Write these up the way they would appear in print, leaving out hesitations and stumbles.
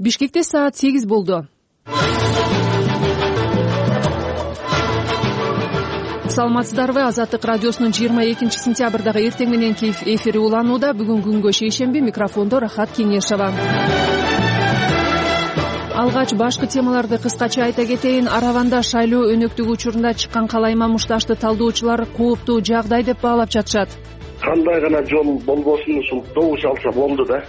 Бишкекте саат 8 болду. Саламатсыздарбы? Азаттык радиосунун 22 сентябрдагы эртең мененки эфири уланууда. Бүгүн күнгө шейшемби, микрофондо Рахат Кеңешова. Алгач башкы темаларды кыскача айта кетейин. Араванда шайлоо өнөктүгү учурунда чыккан калайма мушташты талдоочулар кооптуу жагдай деп баалап жатышат. Кандай гана жол болбосун, ушул добуш алса болду да.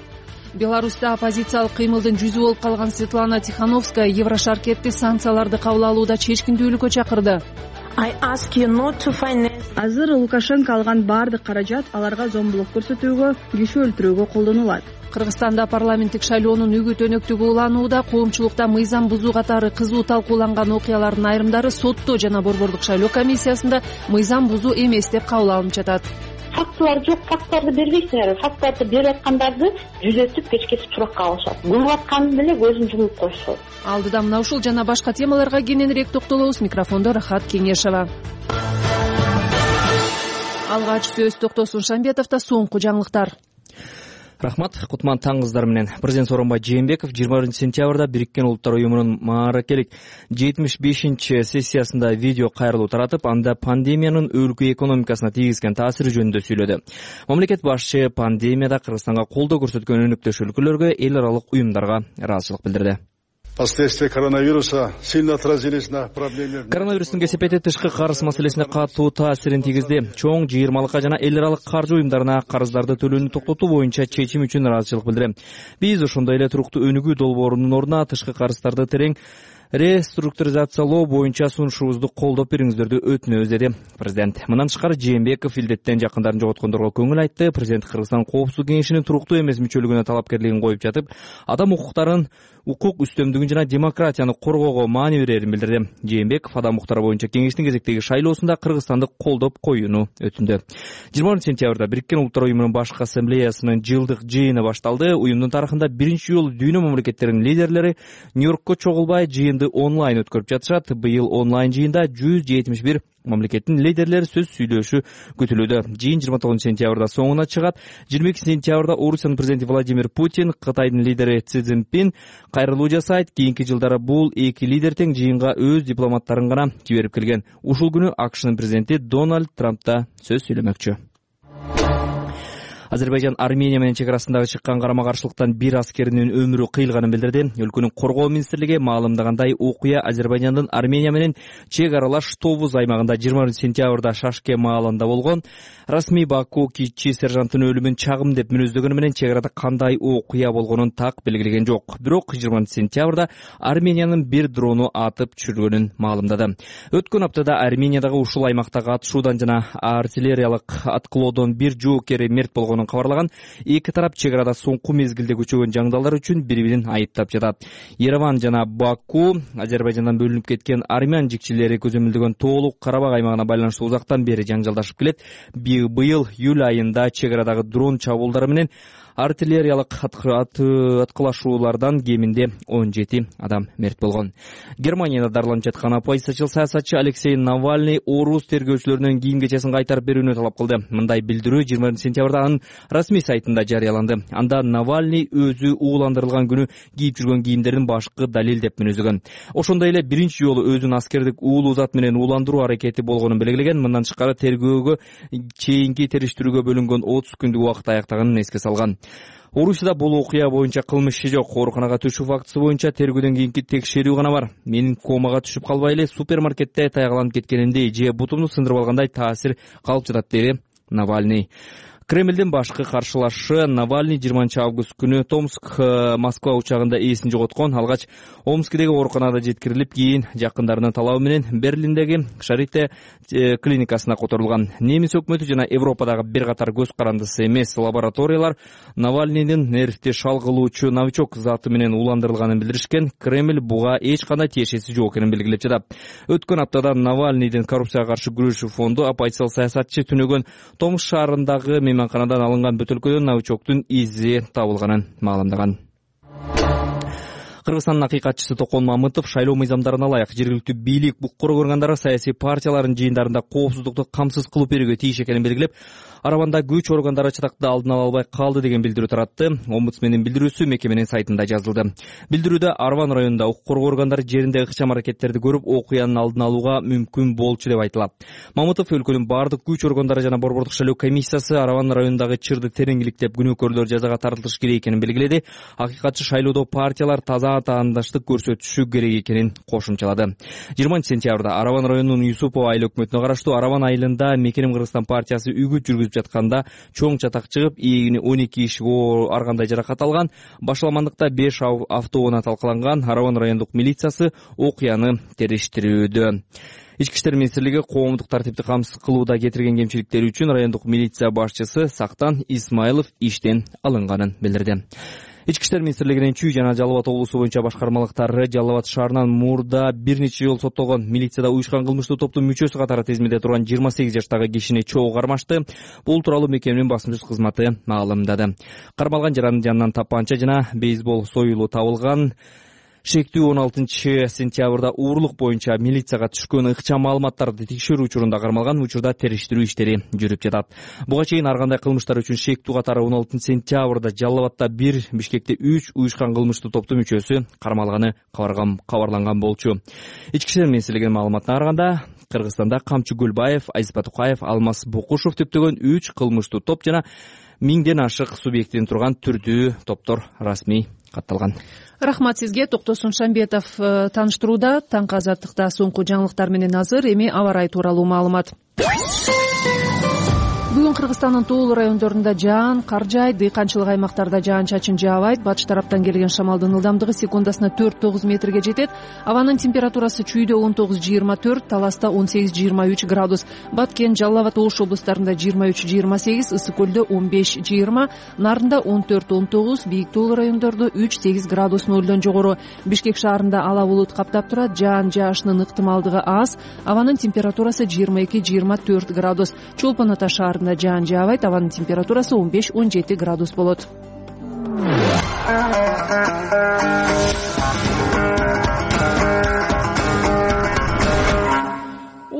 Беларуста оппозициялык кыймылдын жүзү болуп калган Светлана Тихановская Еврошаркетти санкцияларды кабыл алууда чечкиндүүлүккө чакырды. Азыр Лукашенко алган баардык каражат аларга зомбулук көрсөтүүгө, киши өлтүрүүгө колдонулат. Кыргызстанда парламенттик шайлоонун үгүт өнөктүгү уланууда. Коомчулукта мыйзам бузуу катары кызуу талкууланган окуялардын айрымдары сотто жана борбордук шайлоо комиссиясында мыйзам бузуу эмес деп кабыл алынып жатат. Фактылар жок, факттарды бербейсиңер. Факттарды берип аткандарды жүзөтүп кечкесип суракка алышат. Кылып атканын деле көзүн жумуп коюшат. Алдыда мына ушул жана башка темаларга кененирээк токтолобуз. Микрофондо Рахат Кеңешова. Алгач сөз Токтосун Шамбетовдо соңку жаңылыктар. Рахмат, кутман таңыңыздар менен. Президент Сооронбай Жээнбеков 21 сентябрда Бириккен Улуттар уюмунун мааракелик 75-чи сессиясында видео кайрылуу таратып, анда пандемиянын өлкө экономикасына тийгизген таасири жөнүндө сүйлөдү. Мамлекет башчы пандемияда Кыргызстанга колдоо көрсөткөн өнөктөш өлкөлөргө, эл аралык уюмдарга ыраазычылык билдирди. Последствия коронавируса сильно отразились на проблеме. Коронавирустун кесепети тышкы карыз маселесине катуу таасирин тийгизди. Чоң жыйырмалыкка жана эл аралык каржы уюмдарына карыздарды төлөөнү токтотуу боюнча чечим үчүн ыраазычылык билдирем. Биз ошондой эле туруктуу өнүгүү долбоорунун ордуна тышкы карыздарды терең реструктуризациялоо боюнча сунушубузду колдоп бериңиздерди өтүнөбүз, деди президент. Мындан тышкары Жээнбеков илдеттен жакындарын жоготкондорго көңүл айтты. Президент Кыргызстан Коопсуздук кеңешинин туруктуу эмес мүчөлүгүнө талапкерлигин коюп жатып, адам укуктарын, укук үстөмдүгүн жана демократияны коргоого маани берерин билдирди. Жээнбеков адам укуктары боюнча кеңештин кезектеги шайлоосунда Кыргызстанды колдоп коюуну өтүндү. 20 сентябрда Бириккен Улуттар уюмунун башкы ассамблеясынын жылдык жыйыны башталды. Уюмдун тарыхында биринчи жолу дүйнө мамлекеттеринин лидерлери Нью-Йоркко чогулбай жыйынды онлайн өткөрүп жатышат. Быйыл онлайн жыйында 171 мамлекеттин лидерлери сөз сүйлөшү күтүлүүдө. Жыйын 29 сентябрда соңуна чыгат. 22 сентябрда Орусиянын президенти Владимир Путин, Кытайдын лидери Си Цзиньпин кайрылуу жасайт. Кийинки жылдары бул эки лидер тең жыйынга өз дипломаттарын гана жиберип келген. Ушул күнү АКШнын президенти Дональд Трамп да сөз сүйлөмөкчү. Азербайжан Армения менен чек арасындагы чыккан карама-каршылыктан бир аскеринин өмүрү кыйылганын билдирди. Өлкөнүн коргоо министрлиги маалымдагандай, окуя Азербайжандын Армения менен чек аралаш Товуз аймагында 20 сентябрда Шашке маалында болгон. Расмий Баку кичи сержанттын өлүмүн чагым деп мүнөздөгөнү менен чек арада кандай окуя болгонун так белгилеген жок. Бирок 20 сентябрда Армениянын бир дрону атып түшүргөнүн маалымдады. Өткөн аптада Армениядагы ушул аймактагы атышуудан жана артиллериялык аткылоодон бир жоокери мерт болгонун кабарлаган. Эки тарап чек арада соңку мезгилде күчөгөн жаңдалар үчүн бири-бирин айыптап жатат. Ереван жана Баку Азербайжандан бөлүнүп кеткен армян жикчилери көзөмөлдөгөн тоолук Карабак аймагына байланыштуу узактан бери жаңжалдашып келет. Быйыл июль айында чек арадагы дрон чабуулдары менен артиллериялык аткылашуулардан кеминде 17 адам мерт болгон. Германияда дарыланып жаткан оппозициячыл саясатчы Алексей Навальный орус тергөөчүлөрүнүн кийим-кечесин кайтарып берүүнү талап кылды. Мындай билдирүү 20 сентябрда анын расмий сайтында жарыяланды. Анда Навальный өзү ууландырылган күнү кийип жүргөн кийимдердин башкы далил деп мүнөздөгөн. Ошондой эле биринчи жолу өзүн аскердик уулуу зат менен ууландыруу аракети болгонун белгилеген. Мындан тышкары тергөөгө чейинки териштирүүгө бөлүнгөн 30 күндүк убакыт аяктаганын эске салган. Орусияда бул окуя боюнча кылмыш иши жок. Ооруканага түшүү фактысы боюнча тергөөдөн кийинки текшерүү гана бар. Менин комага түшүп калбай эле супермаркетте таягаланып кеткениндей же бутумду сындырып алгандай таасир калып жатат, деди Навальный. Кремлдин башкы каршылашы Навальный 20 август күнү Томск Москва учагында ээсин жоготкон. Алгач Омскидеги ооруканада жеткирилип, кийин жакындарынын талабы менен Берлиндеги Шарите клиникасына которулган. Немис өкмөтү жана Европадагы бир катар көз карандысы эмес лабораториялар Навальныйдын нервти шалгылоочу новичок заты менен ууландырылганын билдиришкен. Кремль буга эч кандай тиешеси жок экенин белгилеп жатат. Өткөн аптада Навальныйдын коррупцияга каршы күрөшүү фонду оппозициялык саясатчы түнөгөн Томск шаарындагы мейманканадан алынган бөтөлкөдөн новичоктун изи табылганын маалымдаган. Кыргызстандын акыйкатчысы Токон Мамытов шайлоо мыйзамдарына ылайык жергиликтүү бийлик, укук коргоо органдары саясий партиялардын жыйындарында коопсуздукту камсыз кылып берүүгө тийиш экенин белгилеп, Араванда күч органдары чатакты алдын ала албай калды деген билдирүү таратты. Омбудсмендин билдирүүсү мекеменин сайтында жазылды. Билдирүүдө Араван районунда укук коргоо органдары жеринде ыкчам аракеттерди көрүп, окуянын алдын алууга мүмкүн болчу деп айтылат. Мамытов өлкөнүн бардык күч органдары жана Борбордук шайлоо комиссиясы Араван районундагы чырды тереңиликтеп күнөөкөрлөр жазага тартылыш керек экенин белгиледи. Акыйкатчы шайлоодо партиялар таза атаандаштык көрсөтүшү керек экенин кошумчалады. 20-сентябрда Араван районунун Юсупова айыл өкмөтүнө караштуу Араван айылында Мекеним Кыргызстан партиясы үгүт жүргүзүп жатканда чоң чатак чыгып, ээни 12 киши ар кандай жаракат алган. Башламандыкта 5 автоунаа талкаланган. Араван райондук милициясы окуяны териштирүүдө. Ички иштер министрлиги коомдук тартипти камсыз кылууда кетирген кемчиликтери үчүн райондук милиция башчысы Сактан Исмайлов иштен алынганын билдирди. Ички иштер министрлигинин Чүй жана Жалал Абад облусу боюнча башкармалыктары Жалал Абад шаарынан мурда бир нече жолу соттолгон милицияда уюшкан кылмыштуу топтун мүчөсү катары тизмеде турган 28 жаштагы кишини чогуу кармашты. Бул тууралуу мекеменин басма сөз кызматы маалымдады. Кармалган жаранын жанынан тапанча жана бейсбол союлу табылган. Шектүү 16-сентябрда уурулук боюнча милицияга түшкөн ыкчам маалыматтарды текшерүү учурунда кармалган. Учурда териштирүү иштери жүрүп жатат. Буга чейин ар кандай кылмыштар үчүн шектүү катары 16-сентябрда Жалал Абадта 1, Бишкекте 3 уюшкан кылмыштуу топтун мүчөсү кармалганы кабарланган болчу. Ички иштер министрлигинин маалыматына караганда, Кыргызстанда Камчы Гүлбаев, Азиз Батукаев, Алмаз Букушев төптөгөн 3 кылмыштуу топ жана 1000ден ашык субъектиден турган түрдүү топтор расмий катталган. Рахмат сизге. Токтосун Шамбетов тааныштырууда. Таңкы азаттыкта соңку жаңылыктар менен азыр. Эми аба ырайы тууралуу маалымат. Бүгүн Кыргызстандын тоолуу райондорунда жаан, кар жаайт, дыйканчылык аймактарда жаан-чачын жаабайт. Батыш тараптан келген шамалдын ылдамдыгы секундасына 4-9 метрге жетет. Абанын температурасы Чүйдө 19-24, Таласта 18-23 градус. Баткен, Жалал Абад, Ош облустарында 23-28, Ысык көлдө 15-20, Нарында 14-19, бийик тоолуу райондордо 3-8 градус нөлдөн жогору. Бишкек шаарында ала булут каптап турат, жаан жаашынын ыктымалдыгы аз. Абанын температурасы 22-24 градус. Чолпон Ата шаарында жаан жаабайт, абанын температурасы 15-17 градус болот.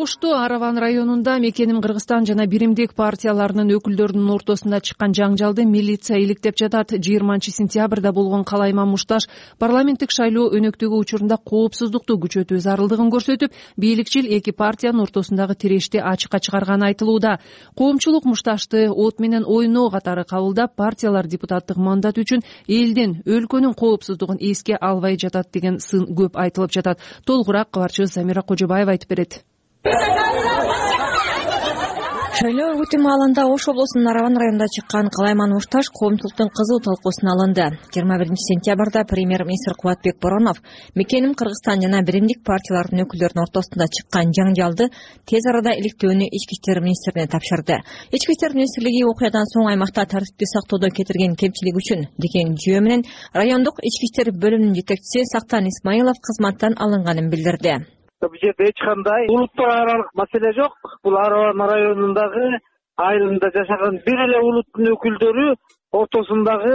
Ошто Араван районунда Мекеним Кыргызстан жана Биримдик партияларынын өкүлдөрүнүн ортосунда чыккан жаңжалды милиция иликтеп жатат. 20-сентябрда болгон Калайман Мушташ парламенттик шайлоо өнөктөгү учурунда коопсуздукту күчөтүү зарылдыгын көрсөтүп, бийликчил эки партиянын ортосундагы тирешти ачыкка чыгарганы айтылууда. Коомчулук Мушташты от менен ойноо катары кабылдап, партиялар депутаттык мандат үчүн элдин, өлкөнүн коопсуздугун эске албай жатат деген сын көп айтылып жатат. Толугураак кабарчыбыз Замира Кожобаева айтып берет. Шайлоо өтүү маалында Ош облусунун Араван районунда чыккан Калайман Мушташ коомчулуктун кызуу талкуусуна алынды. 21-сентябрда премьер-министр Кубатбек Боронов Мекеним Кыргызстан жана Биримдик партияларынын өкүлдөрүнүн ортосунда чыккан жаңжалды тез арада иликтөөнү Ички иштер министрине тапшырды. Ички иштер министрлиги окуядан соң аймакта тартипти сактоодо кетирген кемчилик үчүн деген жүйө менен райондук ички иштер бөлүмүнүн жетекчиси Сактан Исмайлов кызматтан алынганын билдирди. Бул жерде эч кандай улуттар аралык маселе жок. Бул Араван районундагы айылында жашаган бир эле улуттун өкүлдөрү ортосундагы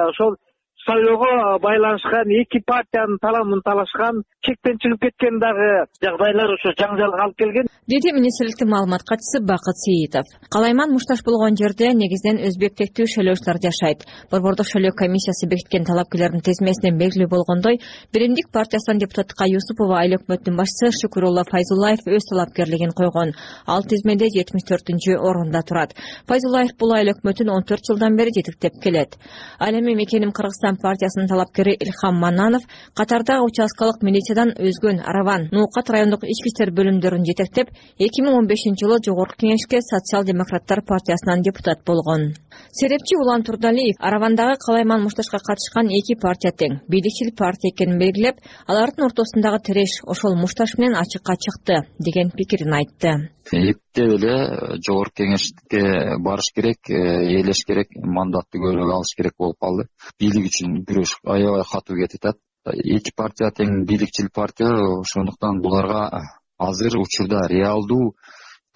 ошол шайлоого байланышкан эки партиянын таламын талашкан, чектен чыгып кеткен дагы жагдайлар ошо жаңжалга алып келген, деди министрликтин маалымат катчысы Бакыт Сейитов. Калайман Мушташ болгон жерде негизинен өзбек тектүү шайлоочулар жашайт. Борбордук шайлоо комиссиясы бекиткен талапкерлердин тизмесинен белгилүү болгондой, Биримдик партиясынан депутаттыкка Юсупова айыл өкмөтүнүн башчысы Шукурулла Файзуллаев өз талапкерлигин койгон. Ал тизмеде 74-орунда турат. Файзуллаев бул айыл өкмөтүн 14 жылдан бери жетектеп келет. Ал эми Мекеним Кыргызстан партиясынын талапкери Илхам Мананов катарда участкалык милициядан өзгөн Араван, Нуукат райондук ички иштер бөлүмдөрүн жетектеп, 2015-жылы Жогорку Кеңешке социал-демократтар партиясынан депутат болгон. Серепчи Улан Турдалиев Аравандагы Калайман Мушташка катышкан эки партия тең, бийликчил партия экенин белгилеп, алардын ортосундагы тиреш ошол Мушташ менен ачыкка чыкты деген пикирин айтты. Эптеп эле Жогорку Кеңешке барыш керек, ээлеш керек, мандатты көбүрөөк алыш керек болуп калды. Бийлик үчүн күрөш аябай катуу кетип атат. Эки партия тең бийликчил партия, ошондуктан буларга азыр учурда реалдуу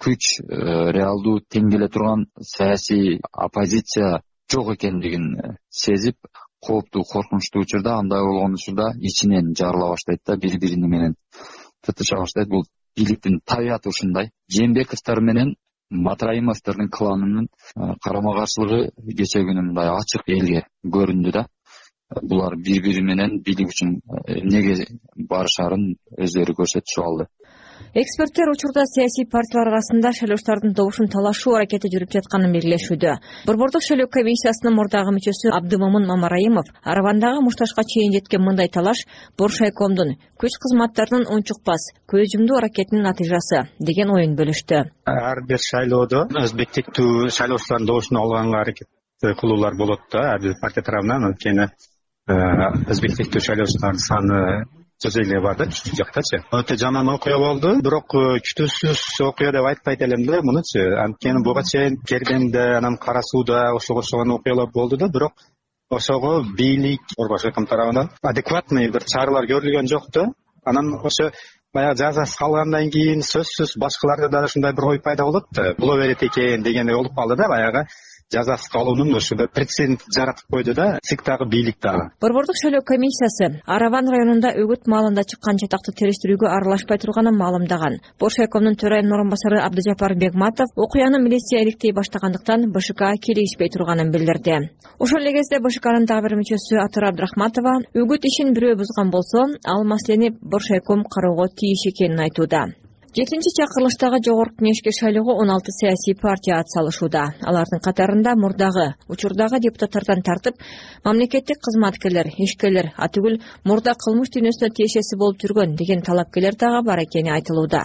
күч, реалдуу тең келе турган саясий оппозиция жок экендигин сезип, кооптуу коркунучтуу учурда, андай болгон учурда ичинен жарыла баштайт да, бири бири менен тытыша баштайт. Бул бийликтин табияты ушундай. Жээнбековдор менен Матраимовдордун кланынын карама каршылыгы кечээ күнү мындай ачык элге көрүндү да. Булар бири бири менен бийлик үчүн эмнеге барышарын өздөрү көрсөтүшүп алды. Эксперттер учурда саясий партиялар арасында шайлоочулардын добушун талашуу аракети жүрүп жатканын белгилешүүдө. Борбордук шайлоо комиссиясынын мурдагы мүчөсү Абдымомун Мамараимов Аравандагы мушташка чейин жеткен мындай талаш Боршайкомдун күч кызматтарынын унчукпас, көз жумдуу аракетинин натыйжасы деген оюн бөлүштү. Ар бир шайлоодо өзбектиктүү шайлоочулардын добушун алганга аракет кылуулар болот да, ар бир партия тарабынан. Анткени өзбектиктүү шайлоочулардын саны сөз эле бар да, чүчү жактачы. Өтө жаман окуя болду, бирок күтүүсүз окуя деп айтпайт элем да мунучу. Анткени буга чейин Кердемде, анан Кара Сууда ошого окшогон окуялар болду да, бирок ошого бийлик Борборшайком тарабынан адекватный бир чаралар көрүлгөн жок да. Анан ошо баягы жазасы калгандан кийин сөзсүз башкаларда да ушундай бир ой пайда болот да, боло берет экен дегендей болуп калды да. Баягы жазасы калуунун ушундай прецедент жаратып койду да ЦИК дагы, бийлик дагы. Борбордук шайлоо комиссиясы Араван районунда өгүт маалында чыккан жатакты териштирүүгө аралашпай турганын маалымдаган. Боршайкомдун төрайымынын орун басары Абдыжапар Бегматов окуяны милиция иликтей баштагандыктан БШК келишпей турганын билдирди. Ошол эле кезде БШКнын дагы бир мүчөсү Атыр Абдрахматова өгүт ишин бирөө бузган болсо, ал маселени Боршайком кароого тийиш экенин айтууда. 7-чи чакырылыштагы жогорку кеңешке шайлоого 16 саясий партия атсалышууда. Алардын катарында мурдагы учурдагы депутаттардан тартып, мамлекеттик кызматкерлер, ишкерлер, атүгүл мурда кылмыш дүйнөсүнө тиешеси болуп жүргөн деген талапкерлер дагы бар экени айтылууда.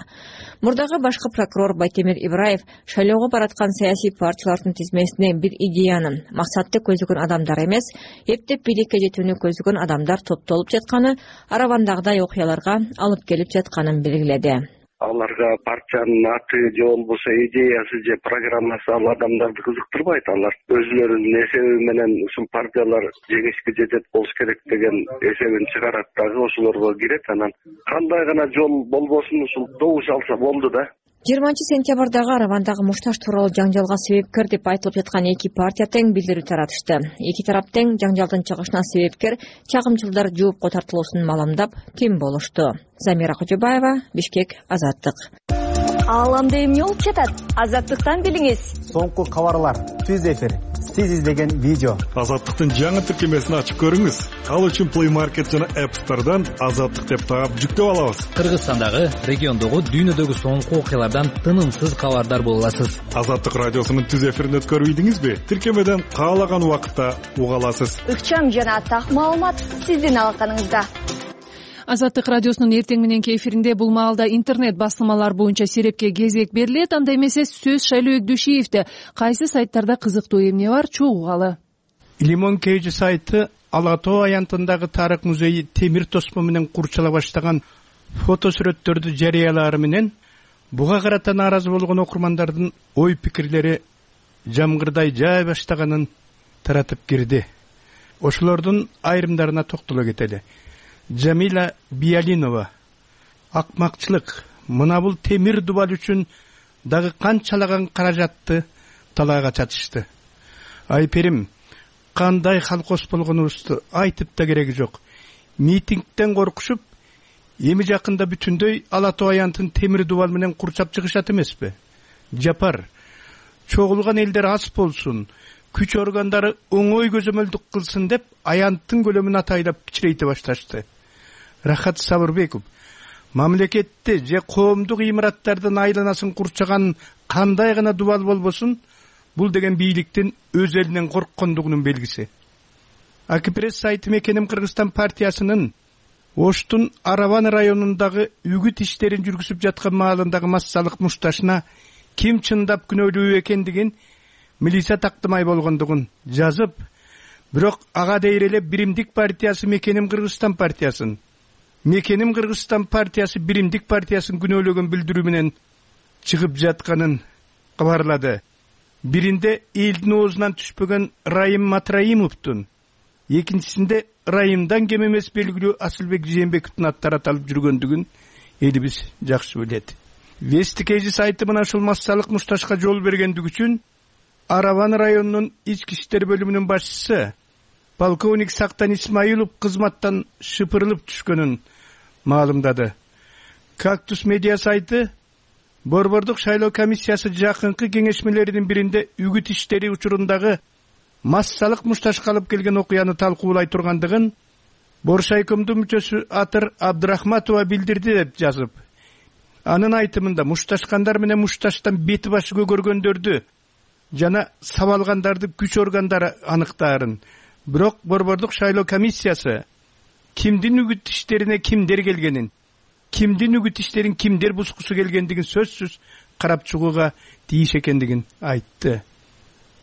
Мурдагы башкы прокурор Байтемир Ибраев шайлоого бараткан саясий партиялардын тизмесине бир идеянын, максатты көздөгөн адамдар эмес, эптеп бийликке жетүүнү көздөгөн адамдар топтолуп жатканы, Аравандагыдай окуяларга алып келип жатканын белгиледи. Аларга партиянын аты же болбосо идеясы же программасы ал адамдарды кызыктырбайт. Алар өзүлөрүнүн эсеби менен ушул партиялар жеңишке жетет болуш керек деген эсебин чыгарат дагы, ошолорго кирет. Анан кандай гана жол болбосун ушул добуш алса болду да. 20-сентябрдагы Аравандагы мушташ тууралуу жаңжалга себепкер деп айтылып жаткан эки партия тең билдирүү таратышты. Эки тарап тең жаңжалдын чыгышына себепкер чагымчылдар жоопко тартылуусун маалымдап, ким болушту. Замира Кожобаева, Бишкек, Азаттык. Ааламда эмне болуп жатат? Азаттыктан билиңиз. Соңку кабарлар, түз эфир, сиз издеген видео. Азаттыктын жаңы тиркемесин ачып көрүңүз. Ал үчүн Play Market жана App Store'дан Азаттык деп таап жүктөп алабыз. Кыргызстандагы, региондогу, дүйнөдөгү соңку окуялардан тынымсыз кабардар боло аласыз. Азаттык радиосунун түз эфирин өткөрүп ийдиңизби? Тиркемеден каалаган убакытта уга аласыз. Ыкчам жана так маалымат сиздин алаканыңызда. Азаттык радиосунун эртең мененки эфиринде бул маалда интернет басылмалар боюнча серепке кезек берилет. Анда эмесе сөз Шайлоо Эгдүшиевде. Кайсы сайттарда кызыктуу эмне бар, чогуугалы. Лимон Кейжи сайты Ала Тоо аянтындагы тарых музейи темир тосмо менен курчала баштаган фото сүрөттөрдү жарыялаары менен буга карата нааразы болгон окурмандардын ой пикирлери жамгырдай жай баштаганын таратып кирди. Ошолордун айрымдарына токтоло кетели. Джамила Биялинова: акмакчылык, мына бул темир дубал үчүн дагы канчалаган каражатты талайга чачышты. Айперим: кандай халкос болгонубузду айтып да кереги жок. Митингден коркушуп, эми жакында бүтүндөй Ала Тоо аянтын темир дубал менен курчап чыгышат эмеспи? Жапар: чогулган элдер аз болсун, күч органдары оңой көзөмөлдүк кылсын деп аянттын көлөмүн атайлап кичирейте башташты. Рахат Сабырбеков: мамлекетти же коомдук имараттардын айланасын курчаган кандай гана дубал болбосун, бул деген бийликтин өз элинен корккондугунун белгиси. Акипресс сайты Мекеним Кыргызстан партиясынын Оштун Араван районундагы үгүт иштерин жүргүзүп жаткан маалындагы массалык мушташына ким чындап күнөөлүү экендигин, милиция тактымай болгондугун жазып, бирок ага дейер эле Биримдик партиясы Мекеним Кыргызстан партиясын, Мекеним Кыргызстан партиясы Биримдик партиясын күнөөлөгөн билдирүү менен чыгып жатканын кабарлады. Биринде элдин оозунан түшпөгөн Райым Матраимовдун, экинчисинде Райымдан кем эмес белгилүү Асылбек Жээнбековдун аттары аталып жүргөндүгүн элибиз жакшы билет. Вести Кейжи сайты мына ушул массалык мушташка жол бергендиги үчүн Араван районунун ички иштер бөлүмүнүн башчысы полковник Сактан Исмаилов кызматтан шыпырылып түшкөнүн маалымдады. Кактус медиа сайты Борбордук шайлоо комиссиясы жакынкы кеңешмелеринин биринде үгүт иштери учурундагы массалык мушташка алып келген окуяны талкуулай тургандыгын Боршайкомдун мүчөсү Атыр Абдрахматова билдирди деп жазып, анын айтымында мушташкандар менен мушташтан бети башы көгөргөндөрдү жана сабалгандарды күч органдары аныктаарын. Бирок Борбордук шайлоо комиссиясы кимдин үгүт иштерине кимдер келгенин, кимдин үгүт иштерин кимдер бузгусу келгендигин сөзсүз карап чыгууга тийиш экендигин айтты.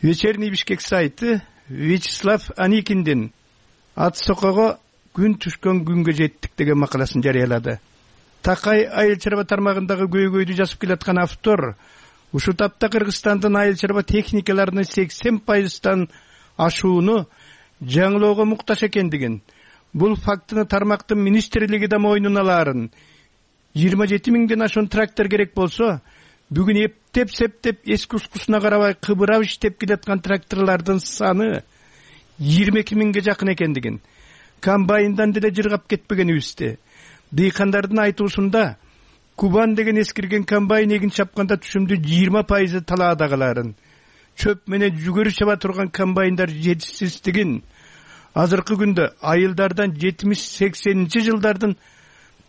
Вечерний Бишкек сайты Вячеслав Аникиндин ат сокого күн түшкөн күнгө жеттик деген макаласын жарыялады. Такай айыл чарба тармагындагы көйгөйдү жазып келаткан автор ушул тапта Кыргызстандын айыл чарба техникаларынын 80%тан ашууну жаңылоого муктаж экендигин, бул фактыны тармактын министрлиги да мойнуна алаарын, 27 миңден ашуун трактор керек болсо, бүгүн эптеп-септеп эски ускусуна карабай кыбырап иштеп келаткан тракторлордун саны 22 миңге жакын экендигин, комбайндан деле жыргап кетпегенибизди, дыйкандардын айтуусунда Кубан деген эскирген комбайн эгин чапканда түшүмдү 20% талаадагыларын, чөп менен жүгөрү чаба турган комбайндар жетишсиздигин, азыркы күндө айылдардан 70-80 жылдардын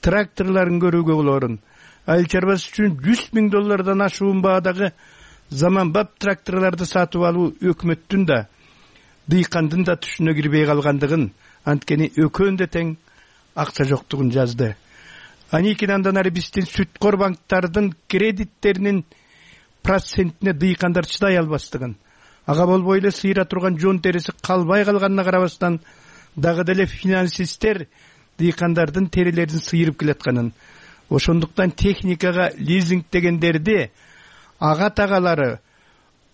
тракторлорун көрүүгө болорун, айыл чарбасы үчүн $100,000 ашуун баадагы заманбап тракторлорду сатып алуу өкмөттүн да, дыйкандын да түшүнө кирбей калгандыгын, анткени экөөндө тең акча жоктугун жазды. Аникин андан ары биздин сүткор банктардын кредиттеринин процентине дыйкандар чыдай албастыгын, ага болбой эле сыйра турган жон териси калбай калганына карабастан дагы деле финансисттер дыйкандардын терилерин сыйырып келатканын, ошондуктан техникага лизингдегендерди ага тагалары,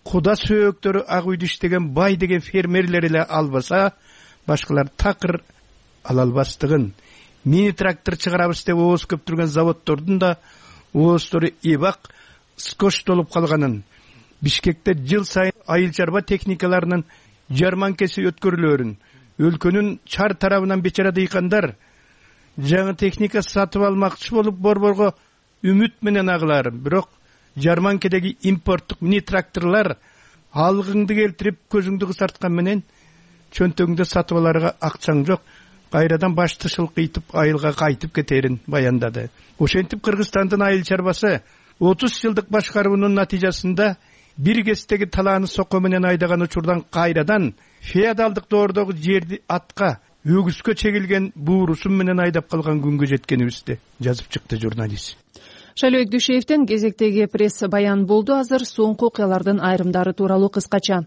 куда сөөктөрү ак үйдү иштеген бай деген фермерлер эле албаса, башкалар такыр ала албастыгын, мини трактор чыгарабыз деп ооз көп турган заводдордун да оозтору эбак скоштолуп калганын, Бишкекте жыл сайын айыл чарба техникаларынын жарманкеси өткөрүлөөрүн, өлкөнүн чар тарабынан бечара дыйкандар жаңы техника сатып алмакчы болуп борборго үмүт менен агыларын, бирок жарманкедеги импорттук мини тракторлор алгыңды келтирип көзүңдү кысарткан менен чөнтөгүңдө сатып аларга акчаң жок, кайрадан башты шылкыйтып айылга кайтып кетерин баяндады. Ошентип Кыргызстандын айыл чарбасы 30 жылдык башкаруунун натыйжасында бир кездеги талааны сокко менен айдаган учурдан кайрадан феодалдык доордогу жерди атка, өгүзгө чегилген буурусун менен айдап калган күнгө жеткенибизди жазып чыкты журналист. Шайлообек Дүйшеевден кезектеги пресс баян болду. Азыр соңку окуялардын айрымдары тууралуу кыскача.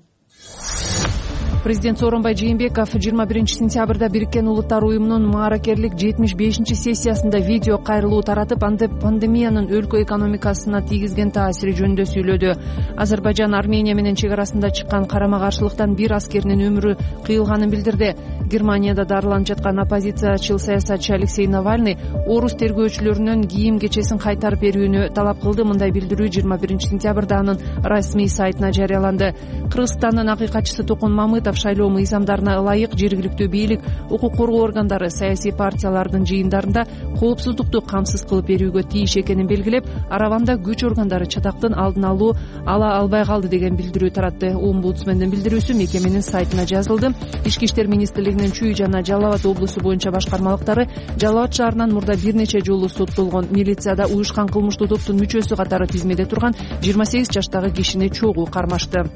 Президент Сооронбай Жээнбеков 21 сентябрда Бириккен Улуттар уюмунун мааракерлик 75-сессиясында видео кайрылуу таратып, пандемиянын өлкө экономикасына тийгизген таасири жөнүндө сүйлөдү. Азербайжан Армения менен чек арасында чыккан карама-каршылыктан бир аскеринин өмүрү кыйылганын билдирди. Германияда дарыланып жаткан оппозициячыл саясатчы Алексей Навальный орус тергөөчүлөрүнүн кийим-кечесин кайтарып берүүнү талап кылды. Мындай билдирүү 21 сентябрда анын расмий сайтына жарыяланды. Кыргызстандын акыйкатчысы Токон Мамытов шайлоо мыйзамдарына ылайык жергиликтүү бийлик, укук коргоо органдары саясий партиялардын жыйындарында коопсуздукту камсыз кылып берүүгө тийиш экенин белгилеп, Араванда күч органдары чатактын алдын ала албай калды деген билдирүү таратты. Омбудсмендин билдирүүсү мекеменин сайтына жазылды. Ички иштер министрлигинин Чүй жана Жалал Абад облусу боюнча башкармалыктары Жалал Абад шаарынан мурда бир нече жолу соттолгон. Милицияда уюшкан кылмыштуу топтун мүчөсү катары тизмеде турган 28 жаштагы кишини чогуу кармашты.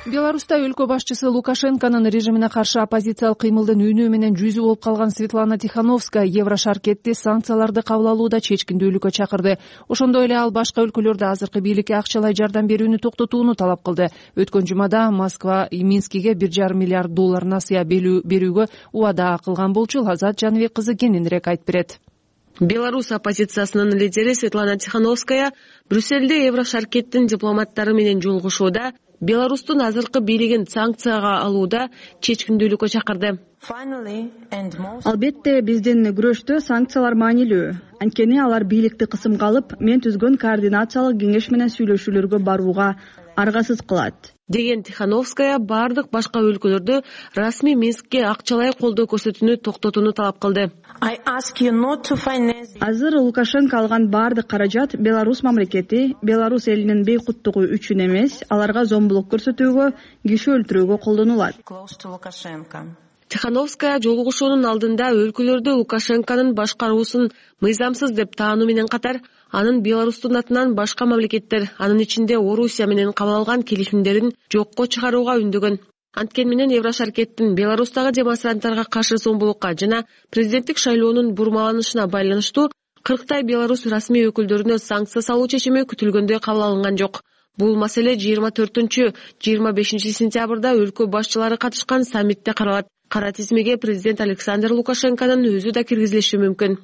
Беларуста өлкө башчысы Лукашенконун режимине каршы оппозициялык кыймылдын үнөө менен жүзү болуп калган Светлана Тихановская Еврошаркетти санкцияларды кабыл алууда чечкиндүүлүккө чакырды. Ошондой эле ал башка өлкөлөрдө азыркы бийликке акчалай жардам берүүнү токтотууну талап кылды. Өткөн жумада Москва Минскиге $1,5 миллиард насыя берүүгө убада кылган болчу. Азат Жаныбек кызы кененирээк айтып берет. Беларусь оппозициясынын лидери Светлана Тихановская Брюссельде Еврошаркеттин дипломаттары менен жолугушууда Беларустун азыркы бийлигин санкцияга алууда чечкиндүүлүккө чакырды. Албетте биздин күрөштө санкциялар маанилүү. Анткени алар бийликти кысымга алып, мен түзгөн координациялык кеңеш менен сүйлөшүүлөргө барууга аргасыз кылат. деген Тихановская бардык башка өлкөлөрдө расмий Минскке акчалай колдоо көрсөтүүнү токтотууну талап кылды. Азыр Лукашенко алган бардык каражат Беларусь мамлекети, Беларусь элинин бейкуттугу үчүн эмес, аларга зомбулук көрсөтүүгө, киши өлтүрүүгө колдонулат. Тихановская жолугушуунун алдында өлкөлөрдө Лукашенконун башкаруусун мыйзамсыз деп таануу менен катар, анын Беларустун атынан башка мамлекеттер, анын ичинде Орусия менен кабыл алган келишимдерин жокко чыгарууга үндөгөн. Анткени менен Еврошаркеттин Беларустагы демонстранттарга каршы зомбулукка жана президенттик шайлоонун бурмаланышына байланыштуу 40 Беларусь расмий өкүлдөрүнө санкция салуу чечими күтүлгөндөй кабыл алынган жок. Бул маселе 24-25 сентябрда өлкө башчылары катышкан саммитте каралат. Кара тизмеге президент Александр Лукашенконун өзү да киргизилиши мүмкүн.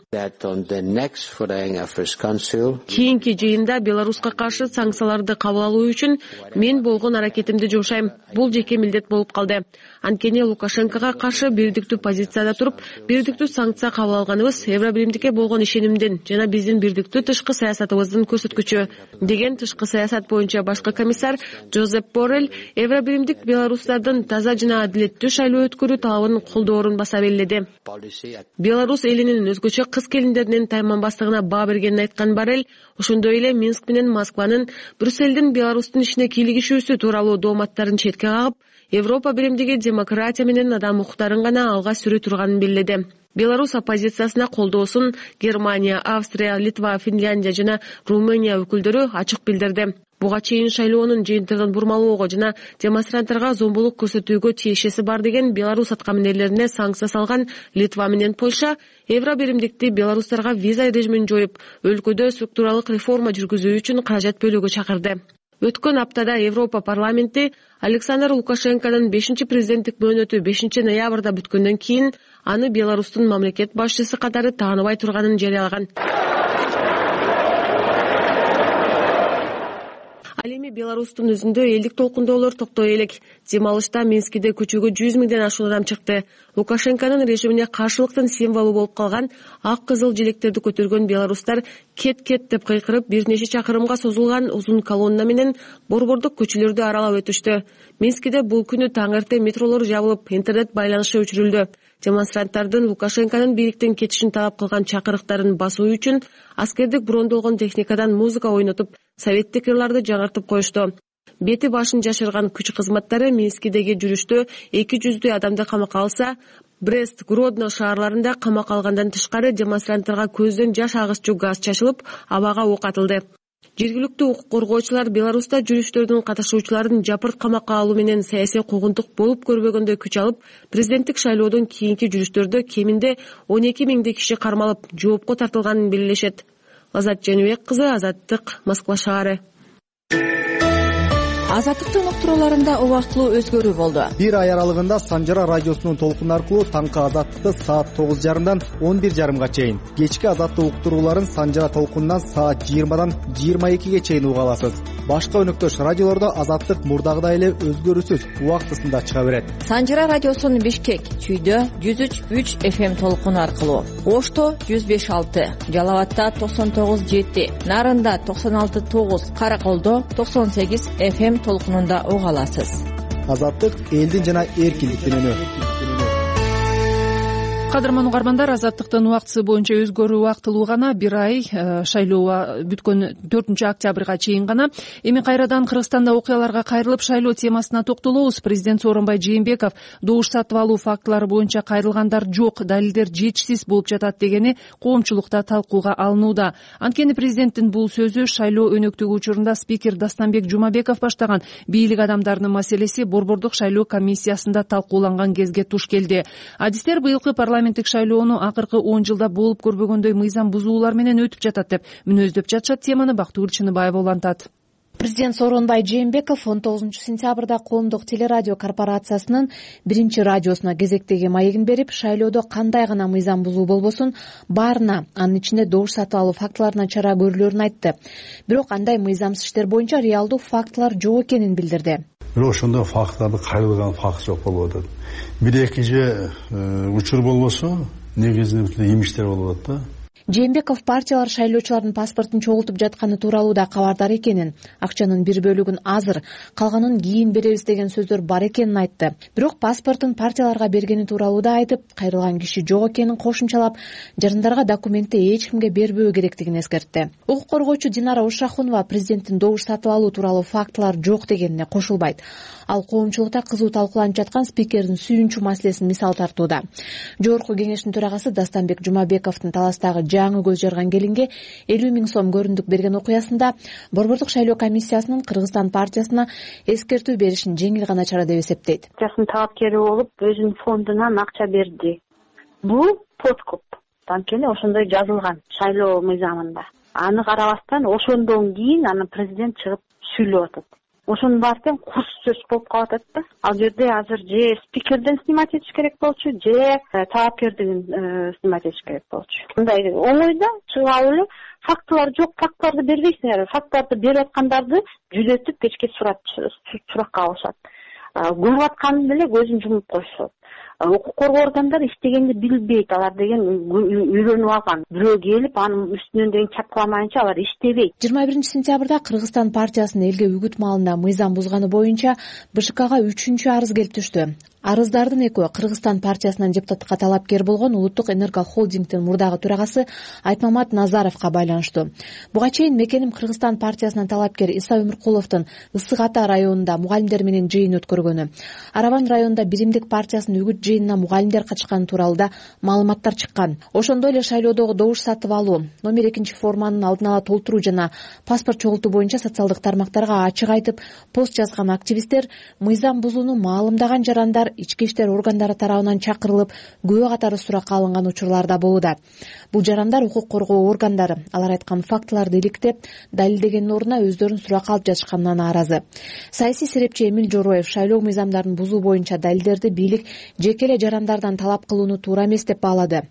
Кийинки жыйында Беларуска каршы санкцияларды кабыл алуу үчүн мен болгон аракетимди жумшайм. Бул жеке милдет болуп калды. Анткени Лукашенкого каршы бирдиктүү позицияда туруп, бирдиктүү санкция кабыл алганыбыз Евробиримдикке болгон ишенимдин жана биздин бирдиктүү тышкы саясатыбыздын көрсөткүчү, деген тышкы саясат боюнча башкы комиссар Жозеп Боррель Евробиримдик беларустардын таза жана адилеттүү шайлоо өткөрүү талабын колдоорун баса белгиледи. Беларусь элинин өзгөчө кыз келиндеринин тайманбастыгына баа бергенин айткан Боррель ошондой эле Минск менен Москванын Брюссельдин Беларустун ишине кийлигишүүсү тууралуу дооматтарын четке кагып, Европа биримдиги демократия менен адам укуктарын гана алга сүрө турганын белгиледи. Беларусь оппозициясына колдоосун Германия, Австрия, Литва, Финляндия жана Румыния өкүлдөрү ачык билдирди. Буга чейин шайлоонун жыйынтыгын бурмалоого жана демонстранттарга зомбулук көрсөтүүгө тиешеси бар деген Беларусь аткаминерлерине санкция салган Литва менен Польша Евробиримдикти беларустарга виза режимин жоюп, өлкөдө структуралык реформа жүргүзүү үчүн каражат бөлүүгө чакырды. Өткөн аптада Европа парламенти Александр Лукашенконун 5-президенттик мөөнөтү 5 ноябрда бүткөндөн кийин аны Беларустун мамлекет башчысы катары тааныбай турганын жарыялаган. Ал эми Беларустун өзүндө элдик толкундоолор токтой элек. Дем алышта Минскиде көчөгө 100 миңден ашуун адам чыкты. Лукашенконун режимине каршылыктын символу болуп калган ак кызыл желектерди көтөргөн беларустар кет-кет деп кыйкырып, бир нече чакырымга созулган узун колонна менен борбордук көчөлөрдү аралап өтүштү. Минскиде бул күнү таң эрте метролор жабылып, интернет байланышы өчүрүлдү. Демонстранттардын Лукашенконун бийликтен кетишин талап кылган чакырыктарын басуу үчүн аскердик брондолгон техникадан музыка ойнотуп, советтик ырларды жаңыртып коюшту. Бети башын жашырган күч кызматтары Минскидеги жүрүштө 200 адамды камакка алса, Брест, Гродно шаарларында камакка алгандан тышкары демонстранттарга көздөн жаш агыччу газ чачылып, абага ок атылды. Жергиликтүү укук коргоочулар Беларуста жүрүштөрдүн катышуучуларын жапырт камакка алуу менен саясий куугунтук болуп көрбөгөндөй күч алып, президенттик шайлоодон кийинки жүрүштөрдө кеминде 12 миңдей киши кармалып, жоопко тартылганын белгилешет. Азат Жаныбек кызы, Азаттык, Москва шаары. Азаттыктын уктурууларында убактылуу өзгөрүү болду. Бир ай аралыгында Санжара радиосунун толкуну аркылуу таңкы Азаттыкты саат 9:30-дан 11:30-га чейин, кечки Азаттык уктурууларын Санжара толкунунан саат 20-дан 22-ге чейин уга аласыз. Башка өнөктөш радиолордо Азаттык мурдагыдай эле өзгөрүүсүз убактысында чыга берет. Санжара радиосунун Бишкек, Чүйдө 103.3 FM толкуну аркылуу, Ошто 105.6, Жалал абадда 99.7, Нарында 96.9, Караколдо 98 FM толкунунда уга аласыз. Азаттык элдин жана эркиндиктин үнү. Кадырман угармандар, Азаттыктын убактысы боюнча өзгөрүү убактылуу гана, бир ай шайлоо бүткөн 4-октябрга чейин гана. Эми кайрадан Кыргызстанда окуяларга кайрылып, шайлоо темасына токтолобуз. Президент Сооронбай Жээнбеков добуш сатып алуу фактылары боюнча кайрылгандар жок, далилдер жетишсиз болуп жатат дегени коомчулукта талкууга алынууда. Анткени президенттин бул сөзү шайлоо өнөктүгү учурунда спикер Дастанбек Жумабеков баштаган бийлик адамдарынын маселеси борбордук шайлоо комиссиясында талкууланган кезге туш келди. Адистер быйылкы парламенттик шайлоону акыркы 10 жылда болуп көрбөгөндөй мыйзам бузуулар менен өтүп жатат деп мүнөздөп жатышат. Теманы Бактыгүл Чыныбаева улантат. Президент Сооронбай Жээнбеков 19 сентябрда Коомдук телерадио корпорациясынын 1-радиосуна кезектеги маегин берип, шайлоодо кандай гана мыйзам бузуу болбосун, баарына, анын ичинде добуш сатып алуу фактыларына чара көрүлөрүн айтты. Бирок андай мыйзамсыз иштер боюнча реалдуу фактылар жок экенин билдирди. Бирок ошондой фактыларды кайрылган факт жок болуп атат. Бир-эки же учур болбосо, негизинен эмиштер болуп атат да. Жээнбеков партиялар шайлоочулардын паспортун чогултуп жатканы тууралуу да кабардар экенин, акчанын бир бөлүгүн азыр, калганын кийин беребиз деген сөздөр бар экенин айтты. Бирок паспортун партияларга бергени тууралуу да айтып, кайрылган киши жок экенин кошумчалап, жарандарга документти эч кимге бербөө керектигин эскертти. Укук коргоочу Динара Ушахунова президенттин добуш сатып алуу тууралуу фактылар жок дегенине кошулбайт. Ал коомчулукта кызуу талкууланып жаткан спикердин сүйүнчү маселесин мисал тартууда. Жогорку кеңештин төрагасы Дастанбек Жумабековдун Таластагы жаңы көз жарган келинге 50 000 сом көрүндүк берген окуясында Борбордук шайлоо комиссиясынын Кыргызстан партиясына эскертүү беришин жеңил гана чара деп эсептейт. Партиясынын талапкери болуп, өзүнүн фондунан акча берди. Бул подкуп. Анткени ошондой жазылган шайлоо мыйзамында. Аны карабастан ошондон кийин анан президент чыгып сүйлөп атат. Ошонун баары тең курс сөз болуп калып атат да. Ал жерде азыр же спикерден снимать этиш керек болчу, же талапкердин снимать этиш керек болчу. Мындай оңойда чыгып алып эле фактылар жок, фактыларды бербейсиңер. Фактыларды берип аткандарды жүзөтүп кечке суракка алышат. Көрүп атканын эле көзүн жумуп коюшат. Укук коргоо органдары иштегенди билбейт, алар деген үйрөнүп алган. Бирөө келип анын үстүнөн деген чапкыламайынча алар иштебейт. 21 сентябрда Кыргызстан партиясынын элге үгүт маалында мыйзам бузганы боюнча БШКга 3-чү арыз келип түштү. Арыздардын экөө Кыргызстан партиясынан депутатка талапкер болгон Улуттук энерго холдингдин мурдагы төрагасы Айтмамат Назаровго байланыштуу. Буга чейин мекеним Кыргызстан партиясынан талапкер Иса Өмүркуловдун Ысык Ата районунда мугалимдер менен жыйын өткөргөнү, Арабан районунда Биримдик партиясынын үгүт жыйынына мугалимдер катышканы тууралуу да маалыматтар чыккан. Ошондой эле шайлоодогу добуш сатып алуу, номер 2 форманын алдын ала толтуруу жана паспорт чогултуу боюнча социалдык тармактарга ачык айтып пост жазган активисттер мыйзам бузууну маалымдаган жарандар ички иштер органдары тарабынан чакырылып, күбө катары суракка алынган учурларда болууда. Бул жарандар укук коргоо органдары алар айткан фактыларды иликтеп, далилдегендин ордуна өздөрүн суракка алып жатышканына нааразы. Саясий серепчи Эмил Жороев шайлоо мыйзамдарын бузуу боюнча далилдерди бийлик жеке эле жарандардан талап кылууну туура эмес деп баалады.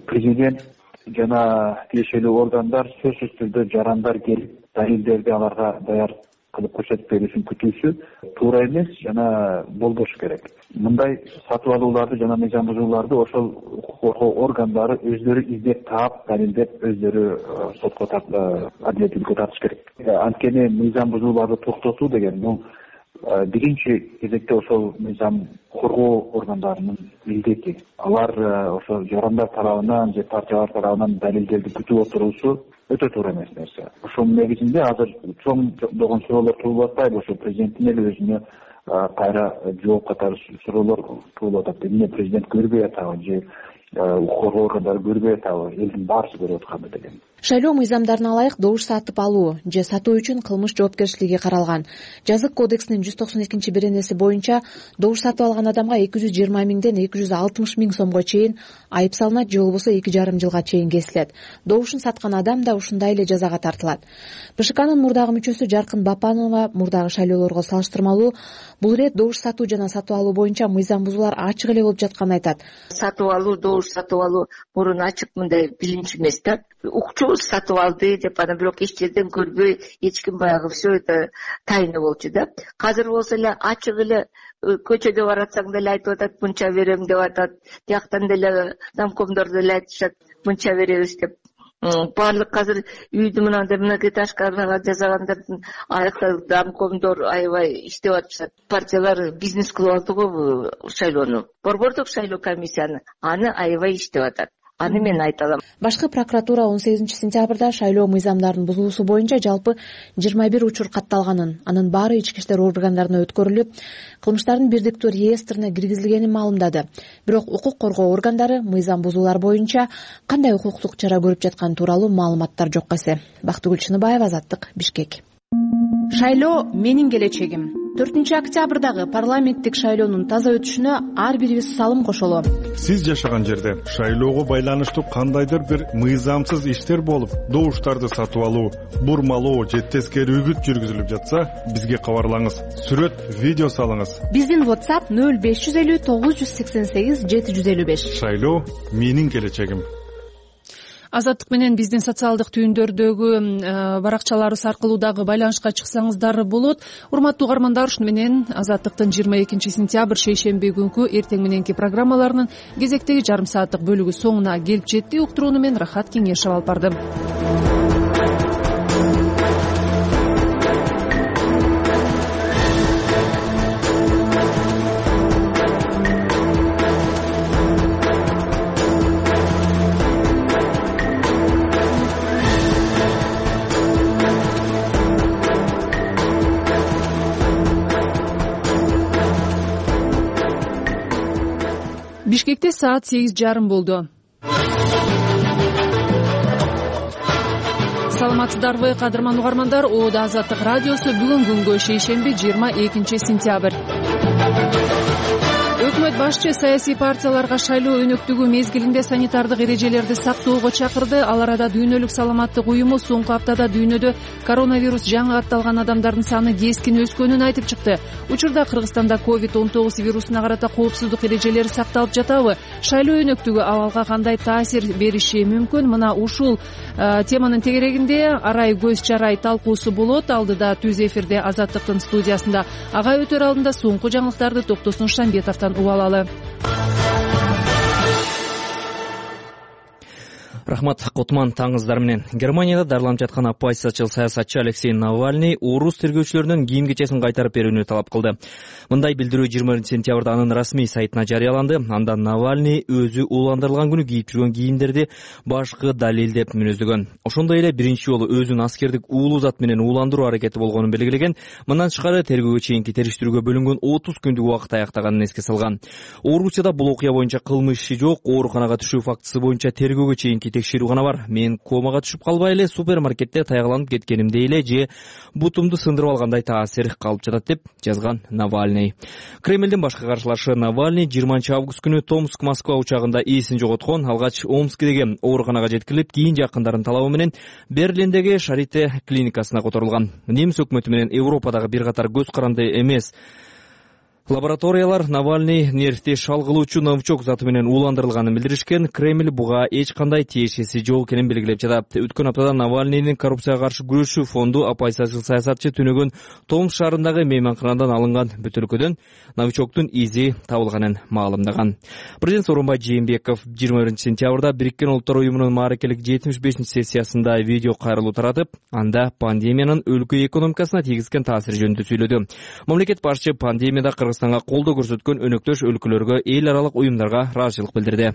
Президент жана тиешелүү органдар сөзсүз түрдө жарандар келип далилдерди аларга даяр кылып көрсөтүп берүүсүн күтүүсү туура эмес жана болбошу керек. Мындай сатып алууларды жана мыйзам бузууларды ошол укук коргоо органдары өздөрү издеп таап, далилдеп өздөрү сотко адилеттүүлүккө тартыш керек. Анткени мыйзам бузууларды токтотуу деген бул биринчи кезекте ошол мыйзам коргоо органдарынын милдети. Алар ошол жарандар тарабынан же партиялар тарабынан далилдерди күтүп отуруусу өтө туура эмес нерсе. Ошонун негизинде азыр чоңдогон суроолор туулуп атпайбы? Ошо президенттин эле өзүнө кайра жооп катары суроолор туулуп атат. Эмне президент көрбөй атабы же укук коргоо органдары көрбөй атабы? Элдин баарысы көрүп атканбы деген. Шайлоо мыйзамдарына ылайык добуш сатып алуу же сатуу үчүн кылмыш жоопкерчилиги каралган. Жазык кодексинин 192-беренеси боюнча добуш сатып алган адамга 220 000ден 260 000 сомго чейин айып салынат же болбосо 2,5 жылга чейин кесилет. Добушун саткан адам да ушундай эле жазага тартылат. БШКнын мурдагы мүчөсү Жаркын Бапанова мурдагы шайлоолорго салыштырмалуу бул ирет добуш сатуу жана сатып алуу боюнча мыйзам бузуулар ачык эле болуп жатканын айтат. Сатып алуу, добуш сатып алуу мурун ачык мындай билинч эмес да. Укчу сатып алды деп анан бирок эч жерден көрбөй эч ким баягы все это тайна болчу да. Азыр болсо эле ачык эле көчөдө баратсаң деле айтып атат, мынча берем деп атат. Тияктан деле замкомдор деле айтышат, мынча беребиз деп. Баардык азыр үйдү мынандай многоэтажкага жасагандардын аякта замкомдор аябай иштеп атышат. Партиялар бизнес кылып алды го шайлоону. Борбордук шайлоо комиссияны аны аябай иштеп атат. Аны мен айта алам. Башкы прокуратура 18 сентябрда шайлоо мыйзамдарын бузуусу боюнча жалпы 21 учур катталганын, анын баары ички иштер органдарына өткөрүлүп, кылмыштардын бирдиктүү реестрине киргизилгенин маалымдады. Бирок укук коргоо органдары мыйзам бузуулар боюнча кандай укуктук чара көрүп жатканы тууралуу маалыматтар жок эсе. Бактыгүл Чыныбаева, Азаттык, Бишкек. Шайлоо менин келечегим. 4 октябрдагы парламенттик шайлоонун таза өтүшүнө ар бирибиз салым кошолу. Сиз жашаган жерде шайлоого байланыштуу кандайдыр бир мыйзамсыз иштер болуп, добуштарды сатып алуу, бурмалоо же тескери үгүт жүргүзүлүп жатса, бизге кабарлаңыз. Сүрөт, видео салыңыз. Биздин WhatsApp 0550 988 755. Шайлоо менин келечегим. Азаттык менен биздин социалдык түйүндөрдөгү баракчаларыбыз аркылуу дагы байланышка чыксаңыздар болот. Урматтуу угармандар, ушуну менен Азаттыктын 22 сентябрь шейшемби күнкү эртең мененки программаларынын кезектеги жарым сааттык бөлүгү соңуна келип жетти. Уктурууну мен Рахат Кеңешев алып бардым. Бишкекте саат 8:30 болду. Саламатсыздарбы, кадырман угармандар? Оода Азаттык радиосу бүгүн күнгө шейшемби 22 сентябрь. Өкмөт башчы саясий партияларга шайлоо өнөктүгү мезгилинде санитардык эрежелерди сактоого чакырды. Ал арада Дүйнөлүк саламаттык уюму соңку аптада дүйнөдө коронавирус жаңы катталган адамдардын саны кескин өскөнүн айтып чыкты. Учурда Кыргызстанда COVID-19 вирусуна карата коопсуздук эрежелери сакталып жатабы? Шайлоо өнөктүгү абалга кандай таасир бериши мүмкүн? Мына ушул теманын тегерегинде арай көз чарай талкуусу болот. Алдыда түз эфирде Азаттыктын студиясында ага өтөр алдында соңку жаңылыктарды Токтосун Шамбетовдон угалы. Рахмат, Котман, таңыңыздар менен. Германияда дарыланып жаткан оппозициячыл саясатчы Алексей Навальный орус тергөөчүлөрүнүн кийим кечесин кайтарып берүүнү талап кылды. Мындай билдирүү 20 сентябрда анын расмий сайтына жарыяланды. Анда Навальный өзү уландырылган күнү кийип жүргөн кийимдерди башкы далил деп мүнөздөгөн. Ошондой эле биринчи жолу өзүн аскердик уулуу зат менен ууландыруу аракети болгонун белгилеген. Мындан тышкары тергөөгө чейинки териштирүүгө бөлүнгөн 30 күндүк убакыт аяктаганын эске салган. Орусияда бул окуя боюнча кылмыш иши жок, ооруканага түшүү фактысы боюнча тергөөгө чейинки текшерүү гана бар. Мен комага түшүп калбай эле супермаркетте таякланып кеткенимде эле же бутумду сындырып алгандай таасир калып жатат деп жазган Навальный. Кремлдин башкы каршылашы Навальный 20 август күнү Томск-Москва учагында эсин жоготкон. Алгач Омскдеги ооруканага жеткирилип, кийин жакындарын талабы менен Берлиндеги Шарите клиникасына которулган. Немис өкмөтү менен Европадагы бир катар көз каранды эмес лабораториялар Навальный нервти шалгылуучу новичок заты менен ууландырылганын билдиришкен. Кремль буга эч кандай тиешеси жок экенин белгилеп жатат. Өткөн аптада Навальныйдын коррупцияга каршы күрөшүү фонду оппозициячыл саясатчы түнөгөн Томск шаарындагы мейманканадан алынган бөтөлкөдөн новичоктун изи табылганын маалымдаган. Президент Сооронбай Жээнбеков 20 сентябрда Бириккен Улуттар уюмунун мааракелик 75-сессиясында видео кайрылуу таратып, анда пандемиянын өлкө экономикасына тийгизген таасири жөнүндө сүйлөдү. Мамлекет башчы пандемияда Кыргызстанга колдоо көрсөткөн өнөктөш өлкөлөргө, эл аралык уюмдарга ыраазычылык билдирди.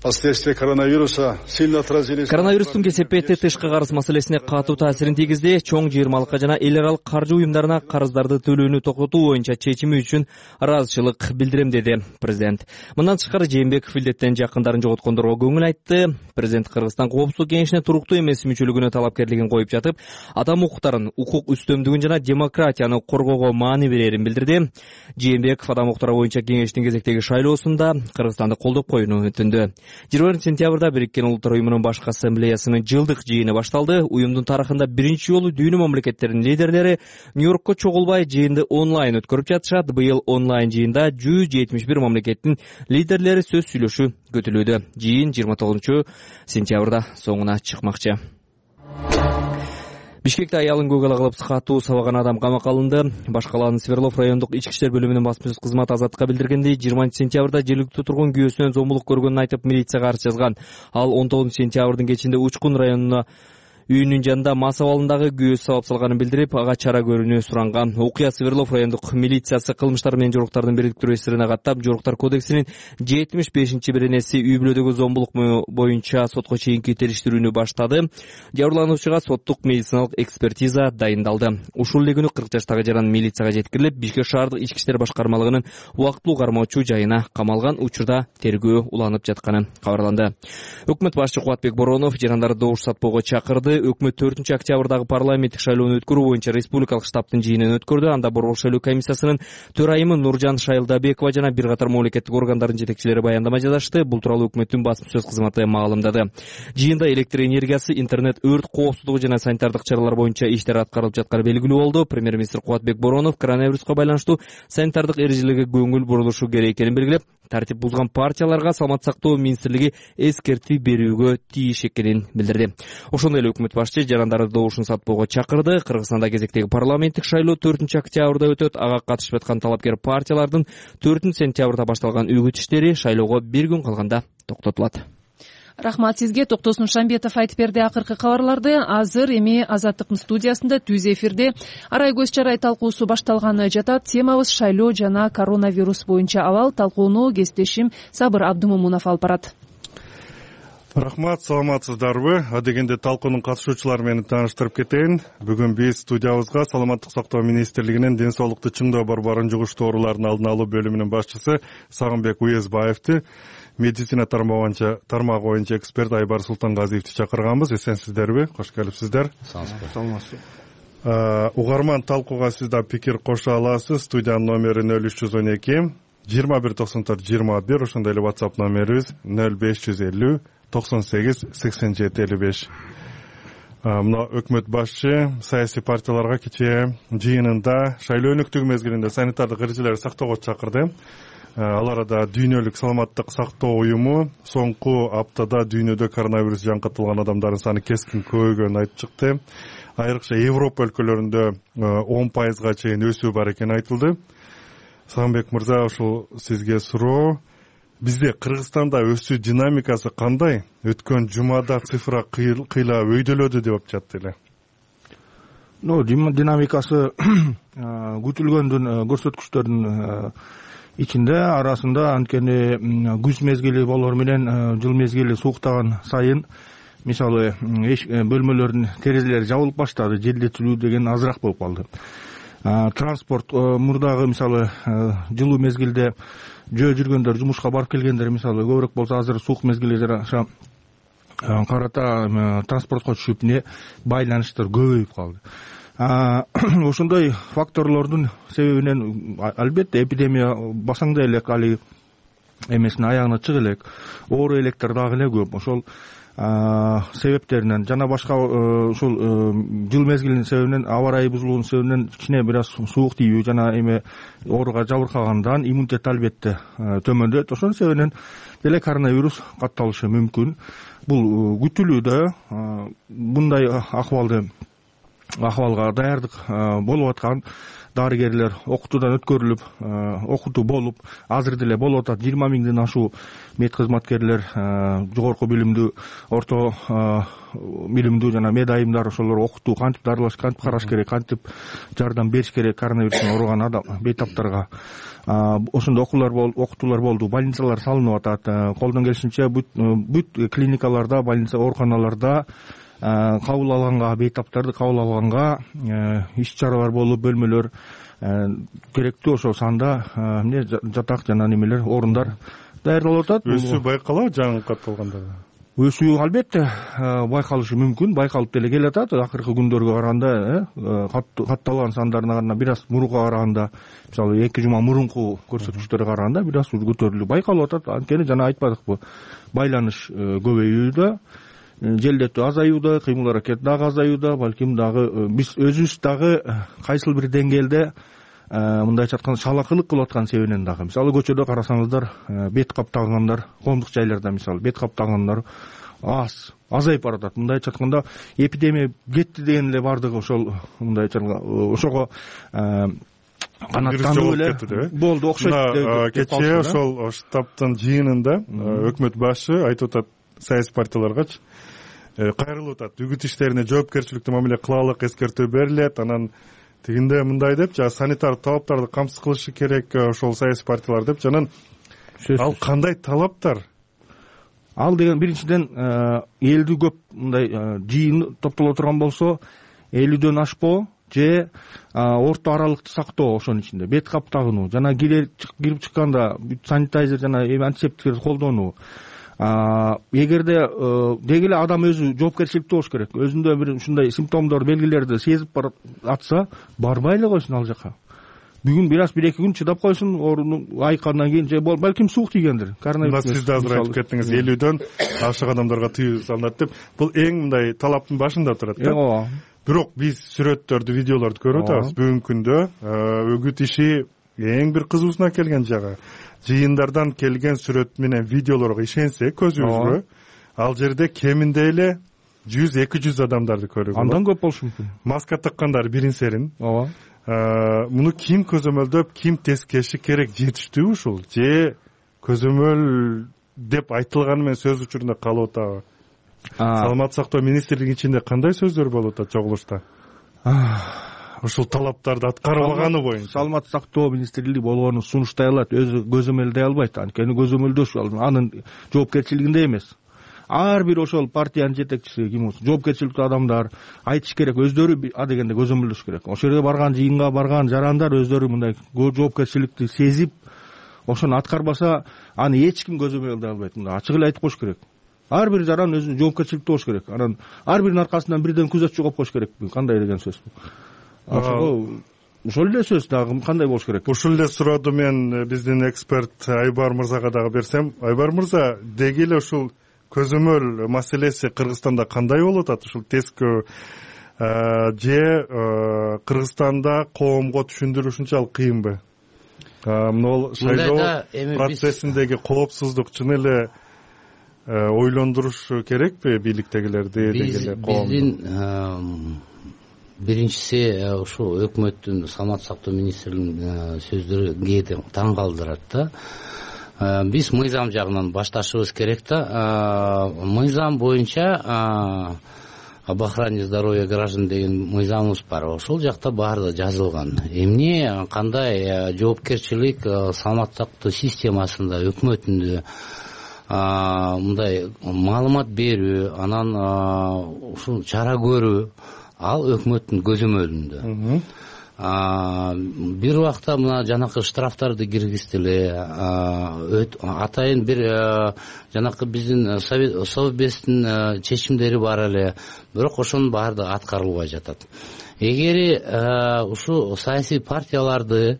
Последствия коронавируса сильно отразились. Коронавирустун кесепети тышкы карыз маселесине катуу таасирин тийгизди. Чоң жыйырмалыкка жана эл аралык каржы уюмдарына карыздарды төлөөнү токтотуу боюнча чечими үчүн ыраазычылык билдирем, деди президент. Мындан тышкары Жээнбеков илдеттен жакындарын жоготкондорго көңүл айтты. Президент Кыргызстан коопсуздук кеңешине туруктуу эмес мүчөлүгүнө талапкерлигин коюп жатып, адам укуктарын, укук үстөмдүгүн жана демократияны коргоого маани берерин билдирди. Жээнбеков адам укуктары боюнча кеңештин кезектеги шайлоосунда Кыргызстанды колдоп коюуну өтүндү. 20 сентябрда Бириккен Улуттар уюмунун башкы ассамблеясынын жылдык жыйыны башталды. Уюмдун тарыхында биринчи жолу дүйнө мамлекеттеринин лидерлери Нью-Йоркко чогулбай жыйынды онлайн өткөрүп жатышат. Быйыл онлайн жыйында 171 мамлекеттин лидерлери сөз сүйлөшүү көтүлүүдө. Жыйын 29 сентябрда соңуна чыкмакчы. Бишкекте аялын көгала кылып катуу сабаган адам камакка алынды. Баш калаанын Свердлов райондук ички иштер бөлүмүнүн басма сөз кызматы Азаттыкка билдиргендей, 20 сентябрда жергиликтүү тургун күйөөсүнөн зомбулук көргөнүн айтып милицияга арыз жазган. Ал 19 сентябрдын кечинде Учкун районуна үйүнүн жанында мас абалындагы күйөөсү сабап салганын билдирип, ага чара көрүүнү суранган. Окуя Свердлов райондук милициясы кылмыштар менен жоруктардын бириктирүү эсирине каттап, жоруктар кодексинин 75-беренеси үй бүлөдөгү зомбулук боюнча сотко чейинки териштирүүнү баштады. Жабырлануучуга соттук медициналык экспертиза дайындалды. Ушул эле күнү 40 жаштагы жаран милицияга жеткирилип, Бишкек шаардык ички иштер башкармалыгынын убактылуу кармоочу жайына камалган. Учурда тергөө уланып жатканы кабарланды. Өкмөт башчы Кубатбек Боронов жарандарды добуш сатпоого чакырды. Өкмөт 4 октябрдагы парламенттик шайлоону өткөрүү боюнча республикалык штабтын жыйынын өткөрдү. Анда Борбор шайлоо комиссиясынын төрайымы Нуржан Шайылдабекова жана бир катар мамлекеттик органдардын жетекчилери баяндама жазышты. Бул тууралуу өкмөттүн басма сөз кызматы маалымдады. Жыйында электр энергиясы, интернет, өрт коопсуздугу жана санитардык чаралар боюнча иштер аткарылып жатканы белгилүү болду. Премьер-министр Кубатбек Боронов коронавируска байланыштуу санитардык эрежелерге көңүл бурулушу керек экенин белгилеп, тартип бузган партияларга саламаттык сактоо министрлиги эскертүү берүүгө тийиш экенин билдирди. Ошондой эле өкмөт башчы жарандарды добушун сатпоого чакырды. Кыргызстанда кезектеги парламенттик шайлоо 4-октябрда өтөт. Ага катышып аткан талапкер партиялардын 4-сентябрда башталган үгүт иштери шайлоого 1 күн калганда токтотулат. Рахмат сизге. Токтосун Шамбетов айтып берди акыркы кабарларды. Азыр эми Азаттыктын студиясында түз эфирде арай көз чарай талкуусу башталганы жатат. Темабыз шайлоо жана коронавирус боюнча абал. Талкууну кесиптешим Сабыр Абдымомунов алып барат. Рахмат, саламатсыздарбы? Адегенде талкуунун катышуучулары менен тааныштырып кетейин. Бүгүн биз студиябызга Саламаттык сактоо министрлигинин ден соолукту чыңдоо борборунун жугуштуу оорулардын алдын алуу бөлүмүнүн башчысы Сагынбек Уезбаевди, медицина тармагы боюнча эксперт Айбар Султангазиевди чакырганбыз. Эсенсиздерби? Кош келипсиздер. Саламатсызбы. Угарман, талкууга сиз да пикир кошо аласыз. Студиянын номери 0312 2194-21, ошондой эле WhatsApp номерибиз 0550 98 87 55. Мына өкмөт башчы саясий партияларга кечээ жыйынында шайлоо өнүктүгү мезгилинде санитардык эрежелерди сактоого чакырды. Ал арада Дүйнөлүк саламаттык сактоо уюму соңку аптада дүйнөдө коронавирус жаңкытылган адамдардын саны кескин көбөйгөнүн айтып чыкты. Айрыкча Европа өлкөлөрүндө 10% чейин өсүү бар экени айтылды. Сагынбек мырза, ошол сизге суроо. Бизде Кыргызстанда өсүү динамикасы кандай? Өткөн жумада цифра кыйла өйдөлөдү деп жатты эле. Динамикасы күтүлгөндүн көрсөткүчтөрдүн ичинде арасында анткени күз мезгили болор менен жыл мезгили сууктаган сайын мисалы бөлмөлөрдүн терезелери жабылып баштады, желдетилүү деген азыраак болуп калды. Транспорт мурдагы мисалы жылуу мезгилде жөө жүргөндөр, жумушка барып келгендер мисалы көбүрөөк болсо, азыр суук мезгилдер карата транспортко түшүп байланыштар көбөйүп калды. Ошондой факторлордун себебинен албетте эпидемия басаңдай элек, али эмесин аягына чыга элек, оору электер дагы эле көп. Ошол себептеринен жана башка ушул жыл мезгилинин себебинен, аба ырайы бузулуунун себебинен кичине бир аз суук тийүү жана эме ооруга жабыркагандан иммунитет албетте төмөндөйт. Ошонун себебинен деле коронавирус катталышы мүмкүн. Бул күтүлүүдө. Мындай акыбалга даярдык болуп аткан. Дарыгерлер окутуудан өткөрүлүп, окутуу болуп, азыр деле болуп атат. 20 миңден ашуу медкызматкерлер, жогорку билимдүү, орто билимдүү жана медайымдар ошолор окутуу, кантип дарылаш, кантип караш керек, кантип жардам бериш керек коронавирустан ооруган адам бейтаптарга. Ошондой окутуулар болду, больницалар салынып атат. Колдон келишинче бүт клиникаларда, больница, ооруканаларда кабыл алганга, бейтаптарды кабыл алганга иш чаралар болуп, бөлмөлөр керектүү ошол санда жатак жана немелер, орундар даярдалып атат. Өсүү байкалабы жаңкытылгандарда? Өсүү албетте байкалышы мүмкүн, байкалып деле келатат. Акыркы күндөргө караганда катталган сандарына бир аз мурунга караганда, мисалы 2 жума мурунку көрсөткүчтөргө караганда бир аз көтөрүлүү байкалып атат. Анткени жана айтпадыкпы, байланыш көбөйүүдө, желдетүү азаюуда, кыймыл аракет дагы азаюуда, балким дагы биз өзүбүз дагы кайсыл бир деңгээлде мындайча айтканда шалакылык кылып аткан себебинен дагы. Мисалы көчөдө карасаңыздар, бет кап тагынгандар, коомдук жайларда мисалы бет кап тагынгандар азайып баратат. Мындайча айтканда эпидемия кетти деген эле бардыгы ошол мындайча ошого канаттанып эле болду, окшойт. Кечээ ошол штабтын жыйынында өкмөт башы айтып атат саясий партияларгачы кайрылып атат. Үгүт иштерине жоопкерчиликтүү мамиле кылалык, эскертүү берилет. Анан тигинде мындай деп, санитар талаптарды камсыз кылышы керек ошол саясий партиялар деп. Анан ал кандай талаптар? Ал деген биринчиден элдүү көп мындай жыйын топтоло турган болсо 50дөн ашпоо же орто аралыкты сактоо, ошонун ичинде бет кап тагынуу жана кирип чыкканда санитайзер жана антисептиктерди колдонуу. Эгерде деги эле адам өзү жоопкерчиликтүү болуш керек. Өзүндө бир ушундай симптомдор, белгилерди сезип барып атса, барбай эле койсун ал жака. Бүгүн бир аз 1-2 күн чыдап койсун, ооруну айыккандан кийин же балким суук тийгендир. Коронавирус. Сиз да азыр айтып кеттиңиз, 50дөн ашык адамдарга тыюу салынат деп. Бул эң мындай талаптын башында турат да. Ооба. Бирок биз сүрөттөрдү, видеолорду көрүп атабыз. Бүгүнкү күндө үгүт иши эң бир кызуусуна келген жагы жыйындардан келген сүрөт менен видеолорго ишенсек көзүбүзгө ал жерде кеминде эле 100-200 адамдарды көрүүгө болот. Андан көп болушу мүмкүн. Маска таккандар бирин серин. Ооба. Муну ким көзөмөлдөп, ким тескеши керек, жетиштүү ушул же көзөмөл деп айтылганы менен сөз учурунда калып атабы? Саламаттык сактоо министрлигинин ичинде кандай сөздөр болуп атат чогулушта? Ушул талаптарды аткарылбаганы боюнча. Саламаттык сактоо министрлиги болгону сунуштай алат, өзү көзөмөлдөй албайт. Анткени көзөмөлдөш анын жоопкерчилигинде эмес. Ар бир ошол партиянын жетекчиси ким болсун, жоопкерчиликтүү адамдар айтыш керек, өздөрү адегенде көзөмөлдөш керек. Ошол жерге барган, жыйынга барган жарандар өздөрү мындай жоопкерчиликти сезип, ошону аткарбаса, аны эч ким көзөмөлдөй албайт. Мындай ачык эле айтып коюш керек. Ар бир жаран өзүнүн жоопкерчиликти болуш керек. Анан ар биринин аркасынан бирден күзөтчү коюп коюш керек. Кандай деген сөз бул? Ошол эле сөз дагы кандай болуш керек? Ушул эле сурооду мен биздин эксперт Айбар мырзага дагы берсем. Айбар мырза, деги эле ушул көзөмөл маселеси Кыргызстанда кандай болуп атат? Ушул тескөө же Кыргызстанда коомго түшүндүрүү ушунчалык кыйынбы? Мына шайлоо процессиндеги коопсуздук чын эле ойлондуруш керекпи бийликтегилерди деги эле коомду? Биздин биринчиси ушул өкмөттүн саламаттык сактоо министринин сөздөрү кээде таң калтырат да. Биз мыйзам жагынан башташыбыз керек да. Мыйзам боюнча об охране здоровья граждан деген мыйзамыбыз бар. Ошол жакта баардыгы жазылган. Эмне кандай жоопкерчилик саламаттык сактоо системасында, өкмөтүндө мындай маалымат берүү, анан ушул чара көрүү ал өкмөттүн көзөмөлүндө. Бир убакта мына жанакы штрафтарды киргиздиле, атайын бир жанакы биздин совбездин чечимдери бар эле, бирок ошонун баардыгы аткарылбай жатат. Эгери ушу саясий партияларды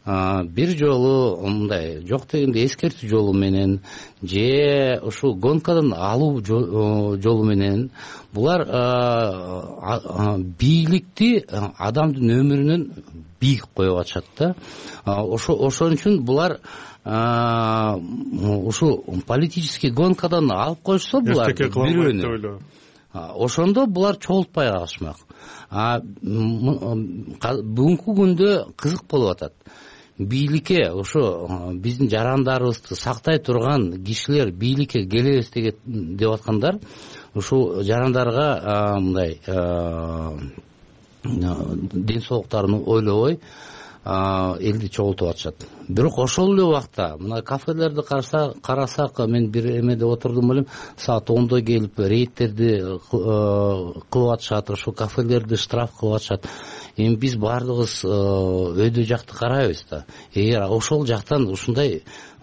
бир жолу мындай жок дегенде эскертүү жолу менен же ушул гонкадан алуу жолу менен булар бийликти адамдын өмүрүнөн бийик коюп атышат да. Ошон үчүн булар ушу политический гонкадан алып коюшса булар бирөөнү, ошондо булар чогултпай калышмак. Бүгүнкү күндө кызык болуп атат. Бийликке ошо биздин жарандарыбызды сактай турган кишилер бийликке келебиз деп аткандар ушул жарандарга мындай ден соолуктарын ойлобой элди чогултуп атышат. Бирок ошол эле убакта мына кафелерди карасак, мен бир эмеде отурдум элем, саат 10-до келип рейдтерди кылып атышат, ошол кафелерди штраф кылып атышат. Эми биз баардыгыбыз өйдө жакты карайбыз да. Эгер ошол жактан ушундай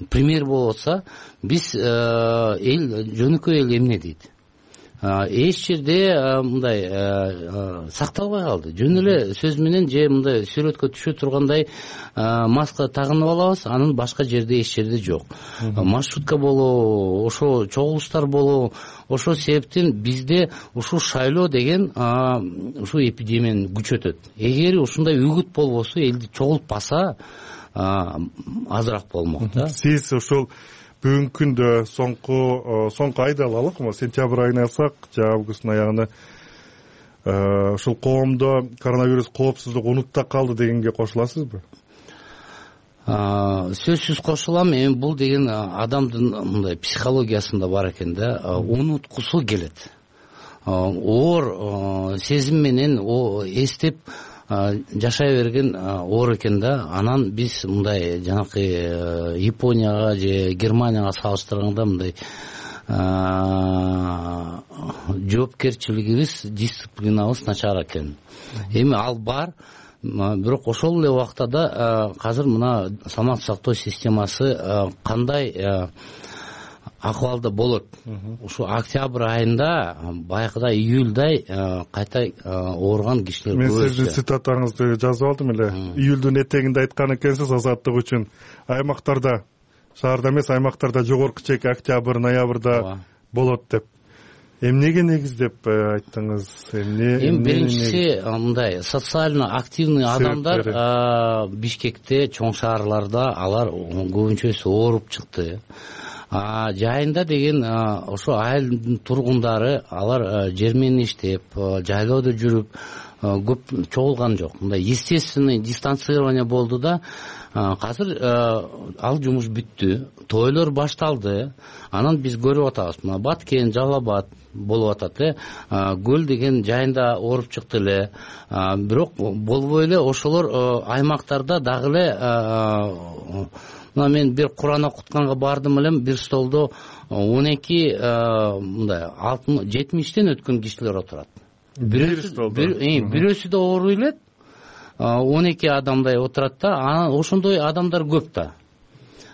пример болуп атса, биз эл жөнөкөй эл эмне дейт? Эч жерде мындай сакталбай калды. Жөн эле сөз менен же мындай сүрөткө түшө тургандай маска тагынып алабыз, анын башка жерде эч жерде жок. Маршрутка болобу, ошо чогулуштар болобу, ошол себептен бизде ушул шайлоо деген ушул эпидемияны күчөтөт. Эгер ушундай үгүт болбосо, элди чогултпаса азыраак болмок да. Сиз ушул бүгүнкү күндө соңку айды алалык, сентябрь айын алсак, же августтун аягына ушул коомдо коронавирус коопсуздук унутта калды дегенге кошуласызбы? Сөзсүз кошулам. Эми бул деген адамдын мындай психологиясында бар экен да, унуткусу келет. Оор сезим менен эстеп жашай берген оор экен да. Анан биз мындай жанакы Японияга же Германияга салыштырганда мындай жоопкерчилигибиз, дисциплинабыз начар экен. Эми ал бар, бирок ошол эле убакта да азыр мына саламаттык сактоо системасы кандай акыбалда болот. Ушу октябрь айында баягыдай июльдай кайта ооруган кишилер көп. Мен сиздин цитатаңызды жазып алдым эле. Июлдун этегинде айткан экенсиз Азаттык үчүн шаарда эмес, аймактарда жогорку чек октябрь, ноябрда болот деп. эмнеге негиздеп айттыңыз? Эми биринчиси мындай социально активный адамдар Бишкекте, чоң шаарларда алар көбүнчөсү ооруп чыкты. Жайында деген ошо айылдын тургундары алар жермен иштеп, жайлоодо жүрүп көп чогулган жок. Мындай естественный дистанцирование болду да азыр ал жумуш бүттү. Тойлор башталды. Анан биз көрүп атабыз. Мына Баткен, Жалал Абад болуп атат. Көл деген жайында ооруп чыкты эле. Бирок болбой эле ошолор аймактарда дагы эле мына мен бир Кур'ан окутканга бардым элем, бир столдо 12 мындай 70тен өткөн кишилер отурат. Бирөөсү да ооруй элек, 12 адамдай отурат да, анан ошондой адамдар көп да.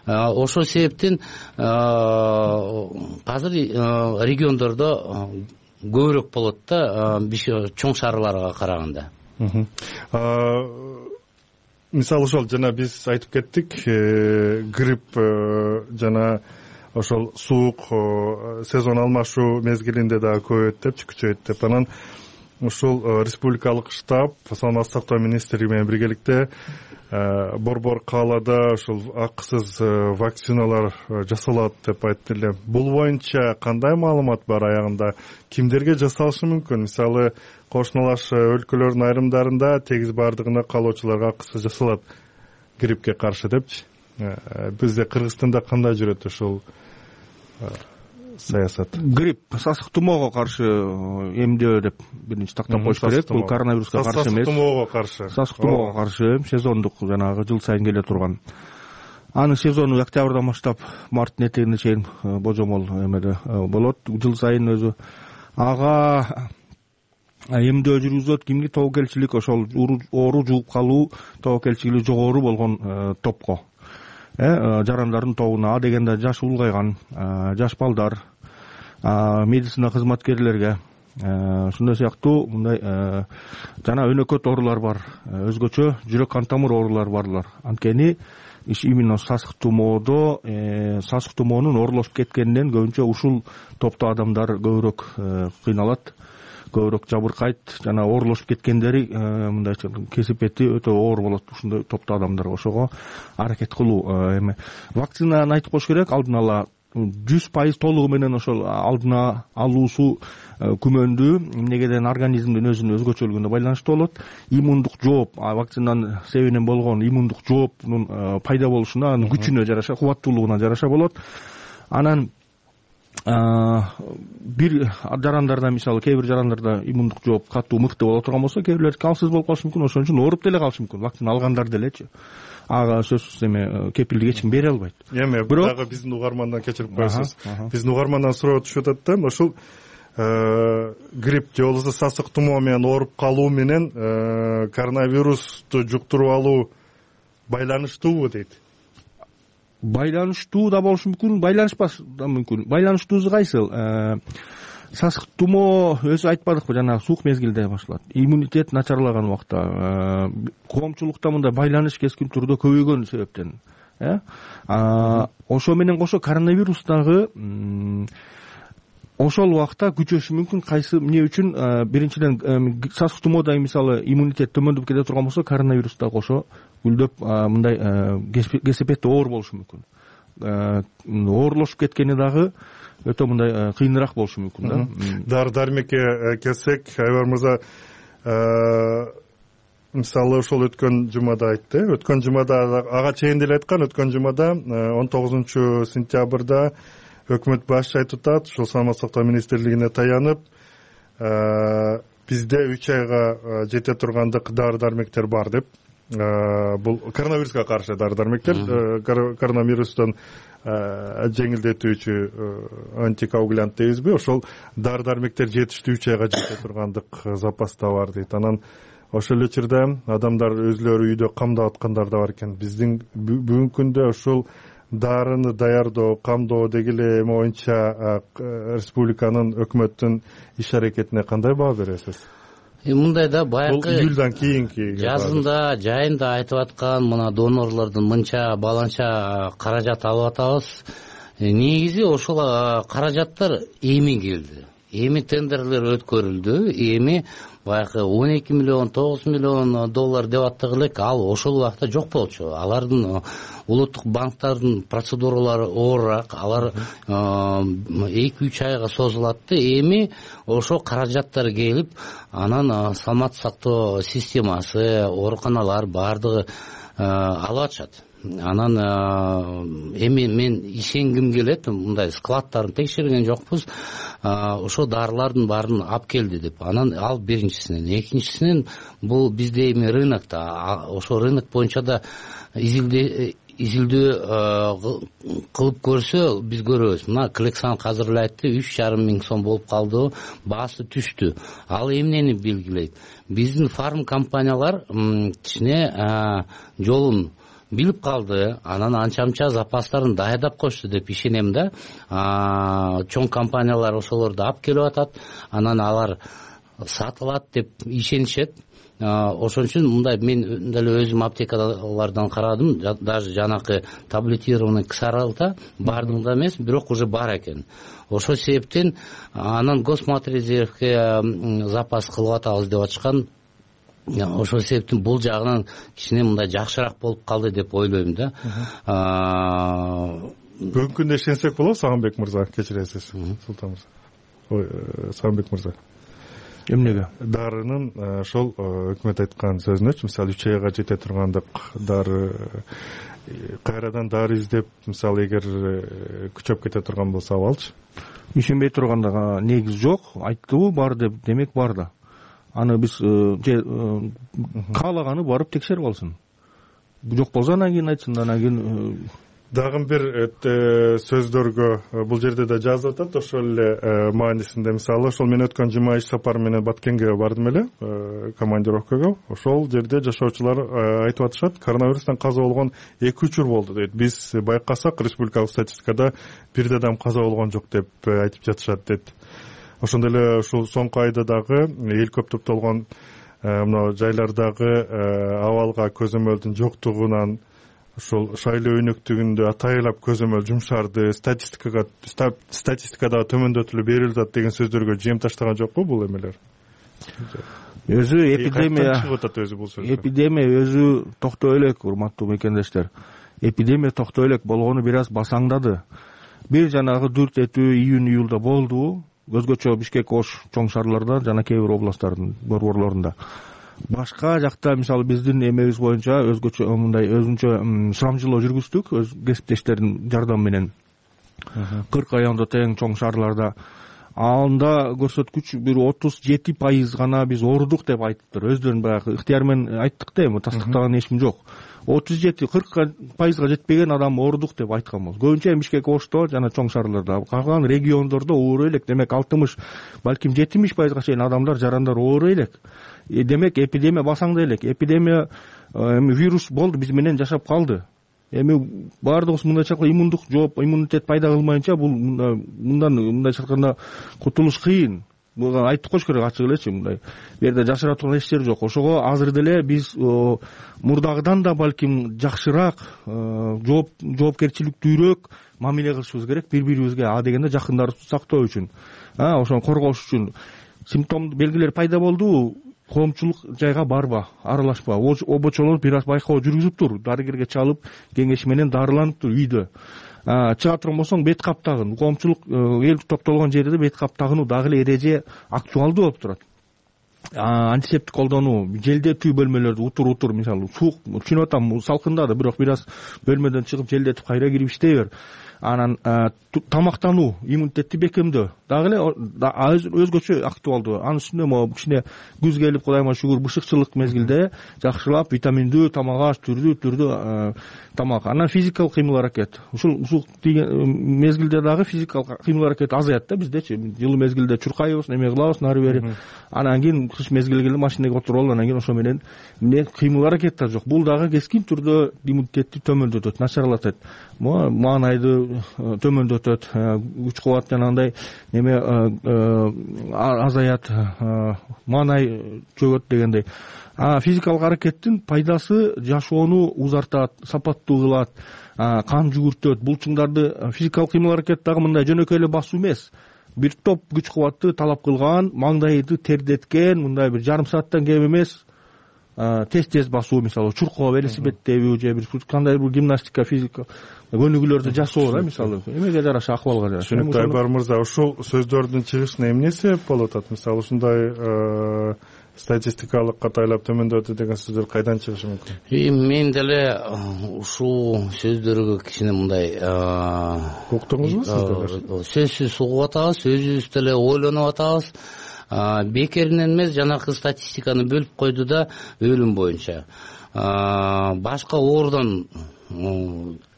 Ошол себептен азыр региондордо көбүрөөк болот да, чоң шаарларга караганда. Мисалы ошол жана биз айтып кеттик, грипп жана ошол суук сезон алмашуу мезгилинде дагы көбөйөт деп, күчөйөт деп. Анан ушул республикалык штаб саламаттык сактоо министрлиги менен биргеликте Борбор каалада ушул акысыз вакциналар жасалат деп айтты эле. Бул боюнча кандай маалымат бар аягында? Кимдерге жасалышы мүмкүн? Мисалы кошуналаш өлкөлөрдүн айрымдарында тегиз баардыгына каалоочуларга акысыз жасалат гриппке каршы депчи. Бизде Кыргызстанда кандай жүрөт ушул саясат? Грипп, сасык тумоого каршы эмдөө деп биринчи тактап коюш керек. Бул коронавируска каршы эмес. Сасык тумоого каршы сезондук жанагы жыл сайын келе турган. Анын сезону октябрдан баштап марттын этегине чейин божомол эмеде болот. Жыл сайын өзү ага эмдөө жүргүзөт. Кимге тобокелчилик, ошол оору жугуп калуу тобокелчилиги жогору болгон топко, жарандардын тобуна, дегенде жаш улгайган, жаш балдар, медицина кызматкерлерге, ушундай сыяктуу мындай жана өнөкөт оорулар бар, өзгөчө жүрөк кан тамыр оорулары барлар. Анткени именно сасык тумоодо, сасык тумоонун оорулашып кеткенинен көбүнчө ушул топто адамдар көбүрөөк кыйналат, көбүрөөк жабыркайт, жана оорулашып кеткендери мындай кесипети өтө оор болот ушундай топто адамдар. Ошого аракет кылуу эме. Вакцинаны айтып коюш керек, алдын ала 100% толугу менен ошол алдына алуусу күмөндүү, эмнегеден организмдин өзүнүн өзгөчөлүгүнө байланыштуу болот. Иммундук жооп, вакцинанын себебинен болгон иммундук жооптун пайда болушуна, анын күчүнө жараша, кубаттуулугуна жараша болот. Анан бир жарандарда, мисалы кээ бир жарандарда иммундук жооп катуу мыкты боло турган болсо, кээ бирлер калсыз болуп калышы мүмкүн, ошон үчүн ооруп деле калышы мүмкүн. Вакцина алгандар делечи. Ага сөзсүз эме кепилдик эч ким бере албайт. Бирок дагы биздин угармандан кечирип коесуз. Биздин угармандан суроо түшүп атат да, ушул грипп же болбосо сасык тумоо менен ооруп калуу менен коронавирусту жуктуруп алуу байланыштуубу дейт. Байланыштуу да болушу мүмкүн, байланышпаш да мүмкүн. Байланыштуусу кайсыл? Сасык тумоо өзү айтпадыкпы, жана суук мезгилде башталат. Иммунитет начарлаган убакта, коомчулукта мындай байланыш кескин түрдө көбөйгөн себептен. Ошо менен кошо коронавирус дагы ошол убакта күчөшү мүмкүн. Кайсы эмне үчүн? Биринчиден сасык тумоодо мисалы иммунитет төмөндөп кете турган болсо, коронавирус да кошо гүлдөп мындай кесепети оор болушу мүмкүн. Оорулашып кеткени дагы өтө мындай кыйыныраак болушу мүмкүн да. Дары-дармекке келсек, Айбар мырза, мисалы ошол өткөн жумада айтты. Өткөн жумада ага чейин деле айткан, өткөн жумада 19 сентябрда өкмөт башчы айтып атат, ушул саламаттык сактоо министрлигине таянып, бизде 3 айга жете тургандык дары-дармектер бар деп. Бул коронавируска каршы дары-дармектер, коронавирустан жеңилдетүүчү антикоагулянт дейбизби, ошол дары-дармектер жетиштүү 3 айга жете тургандык запаста бар дейт. Анан ошол эле учурда адамдар өзүлөрү үйдө камдап аткандар да бар экен. Биздин бүгүнкү күндө ушул дарыны даярдоо, камдоо деги эле эме боюнча республиканын, өкмөттүн иш аракетине кандай баа бересиз? Мындай да, баягы июлдан кийинки жазында, жайында айтып аткан мына донорлордун мынча баланча каражат алып атабыз. Негизи ошол каражаттар эми келди. эми тендерлер өткөрүлдү. Эми баягы 12 миллион, 9 миллион доллар деп аттык элек, ал ошол убакта жок болчу. Алардын улуттук банктардын процедуралары оорураак, алар 2-3 айга созулат да. Эми ошо каражаттар келип, анан саламаттык сактоо системасы, ооруканалар баардыгы алып атышат. Анан эми мен ишенгим келет, мындай складдарын текшерген жокпуз, ошо дарылардын баарын алып келди деп. Анан ал биринчисинен, экинчисинен бул бизде эми рынокто, ошо рынок боюнча да изилдөө кылып көрсө биз көрөбүз. Мына Клексан азыр эле айтты, 3,5 миң сом болуп калды, баасы түштү. Ал эмнени белгилейт? Биздин фарм компаниялар кичине жолун билип калды, анан анча-мынча запастарын даярдап коюшту деп ишенем да. Чоң компаниялар ошолорду алып келип атат, анан алар сатылат деп ишенишет. Ошон үчүн мындай мен деле өзүм аптекалардан карадым, даже жанакы таблетированный ксаралта бардыгында эмес, бирок уже бар экен. Ошол себептен анан Госматрезервке запас кылып атабыз деп атышкан. Ошол себептен бул жагынан кичине мындай жакшыраак болуп калды деп ойлойм да. Бүгүнкү күндө ишенсек болобу, Сагынбек мырза, кечиресиз, Султан мырза. Ой, Сагынбек мырза. Эмнеге? Дарынын ошол өкмөт айткан сөзүнөчү, мисалы 3 айга жете тургандык дары, кайрадан дары издеп, мисалы эгер күчөп кете турган болсо абалчы. Ишенбей турганда негиз жок, айттыбы бар деп, демек бар да. Аны биз каалаганы барып текшерип алсын. Жок болсо анан кийин айтсын, анан кийин дагы бир сөздөргө бул жерде да жазып атат, ошол эле маанисинде. Мисалы, ошол мен өткөн жума иш сапары менен Баткенге бардым эле, командировкага. Ошол жерде жашоочулар айтып атышат, коронавирустан каза болгон 2 учур болду дейт. Биз байкасак, республикалык статистикада бир адам каза болгон жок деп айтып жатышат дейт. Ошондой эле ушул соңку айда дагы эл көп топтолгон мына жайлардагы абалга көзөмөлдүн жоктугунан ошол шайлоо өнөктүгүндө атайлап көзөмөл жумшарды, статистикадагы төмөндөтүлүп берилип атат деген сөздөргө жем таштаган жокпу бул эмелер? Өзү эпидемия өзү токтой элек, урматтуу мекендештер. Эпидемия токтой элек болгону бир аз басаңдады. Бир жанагы дүрт этүү июнь-июлда болду. Өзгөчө Бишкек, Ош чоң шаарларда жана кээ бир областтардын борборлорунда. Башка жакта мисалы биздин эмебиз боюнча өзгөчө мындай өзүнчө сурамжылоо жүргүздүк, өз кесиптештердин жардамы менен. 40 райондо тең чоң шаарларда. Анда көрсөткүч бир 37% гана биз оорудук деп айтыптыр. Өздөрүн баягы ыктыяр менен айттык да, эми тастыктаган эчим жок. 37-40%га жетпеген адам оорудук деп айткан болот. Көбүнчө Бишкек, Ошто жана чоң шаарларда, калган региондордо оору элек. Демек 60, балким 70%га чейин адамдар, жарандар оору элек. Демек эпидемия басаңда элек. Эпидемия вирус болду, биз менен жашап калды. Эми баардыгыбыз мындайча иммундук жооп, иммунитет пайда кылмайынча бул мындайча айтканда кутулуш кыйын. Буга айтып коюш керек ачык элечи, мындай. Бу жерде жашыра турган эч жер жок. Ошого азыр деле биз мурдагыдан да балким жакшыраак, жоопкерчиликтүүрөөк мамиле кылышыбыз керек бири-бирибизге, дегенде жакындарыбызды сактоо үчүн, ошону коргош үчүн. Симптом белгилер пайда болду, коомчулук жайга барба, аралашпа. Обочолор бир аз байкоо жүргүзүп тур, дарыгерге чалып, кеңеш менен дарыланып тур үйдө. Чыга турган болсоң бет каптагын, коомчулук эл топтолгон жерде бет каптагынуу дагы эле эреже актуалдуу болуп турат. Антисептик колдонуу, желдетүү бөлмөлөрдү утур мисалы, суук, түшүнүп атам, салкындады, бирок бир аз бөлмөдөн чыгып желдетип кайра кирип иштей бер. Анан тамактануу, иммунитетти бекемдөө дагы эле өзгөчө актуалдуу. Анын үстүнө могу кичине күз келип, Кудайыма шүгүр, бышыкчылык мезгилде жакшылап витаминдүү тамак аш, түрдүү тамак. Анан физикалык кыймыл аракет. Ушул мезгилде дагы физикалык кыймыл аракет азаят да биздечи. Жылы мезгилде чуркайбыз, эме кылабыз, нары бери. Анан кийин кыш мезгили келди, машинеге отуруп алып, анан кийин ошо менен кыймыл аракет да жок. Бул дагы кескин түрдө иммунитетти төмөндөтөт, начарлатат. Маанайды төмөндөтөт, күч кубат жанагындай неме азаят, маанай чөгөт дегендей. Физикалык аракеттин пайдасы жашоону узартат, сапаттуу кылат, кан жүгүртөт. Булчуңдарды физикалык кыймыл аракет дагы мындай жөнөкөй эле басуу эмес. бир топ күч кубатты талап кылган, маңдайды тердеткен, мындай бир жарым сааттан кем эмес тез басуу, мисалы чуркоо, велосипед тебүү же бир кандай бир гимнастика, физика көнүгүүлөрдү жасоо да, мисалы эмеге жараша, акыбалга жараша. Түшүнүктүү Айбар мырза, ушул сөздөрдүн чыгышына эмне себеп болуп атат? Мисалы ушундай статистикалык катайлап төмөндөдү деген сөздөр кайдан чыгышы мүмкүн? Мен деле ушул сөздөргө кичине мындай уктуңузбу сиздер? Сөзсүз угуп атабыз, өзүбүз деле ойлонуп атабыз. Бекеринен эмес, жанакы статистиканы бөлүп койду да, өлүм боюнча башка оорудан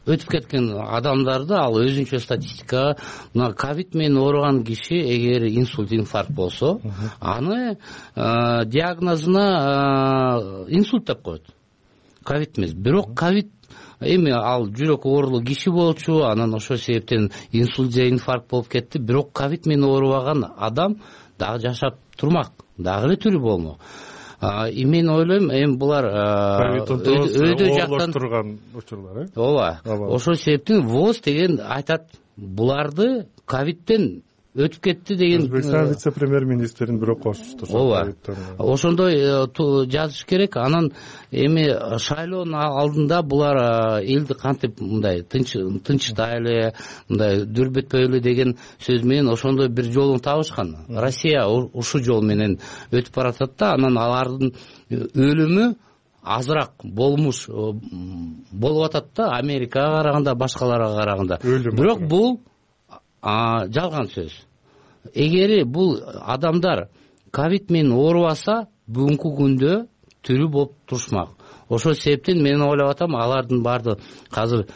өтүп кеткен адамдарды ал өзүнчө статистикага, мына ковид менен ооруган киши эгер инсульт, инфаркт болсо, аны диагнозуна инсульт деп коет. Ковид эмес. Бирок ковид эми ал жүрөк оорулуу киши болчу, анан ошол себептен инсульт же инфаркт болуп кетти. Бирок ковид менен оорубаган адам дагы жашап турмак, дагы эле тирүү болмок. Мен ойлойм, эми булар өйдө жактан турган учурлар, ооба. Ошол себептен ВОЗ деген айтат, буларды ковидтен өтүп кетти деген. Өзбекстан вице-премьер-министрин бирок кошушту. Ооба. Ошондой жазыш керек. Анан эми шайлоонун алдында булар элди кантип мындай тынчтайлы, мындай дүрбөтпөйлү деген сөз менен ошондой бир жолун табышкан. Россия ушул жол менен өтүп баратат да, анан алардын өлүмү азыраак болмуш болуп атат да, Америкага караганда, башкаларга караганда. Бирок бул жалган сөз. Эгери бул адамдар ковид менен оорубаса, бүгүнкү күндө тирүү болуп турушмак. Ошол себептен мен ойлоп атам, алардын баардыгы азыр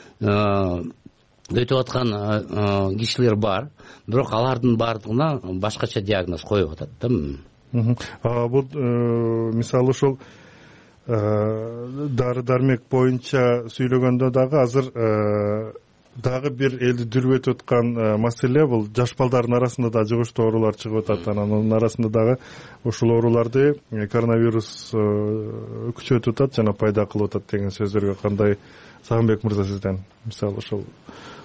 өтүп аткан кишилер бар, бирок алардын баардыгына башкача диагноз коюп атат да. Бул мисалы ушул дары дармек боюнча сүйлөгөндө дагы азыр дагы бир элди дүрбөтүп аткан маселе бул жаш балдардын арасында да жугуштуу оорулар чыгып атат. Анын арасында дагы ушул ооруларды коронавирус күчөтүп атат жана пайда кылып атат деген сөздөргө кандай, Сагынбек мырза, сизден? Мисалы ушул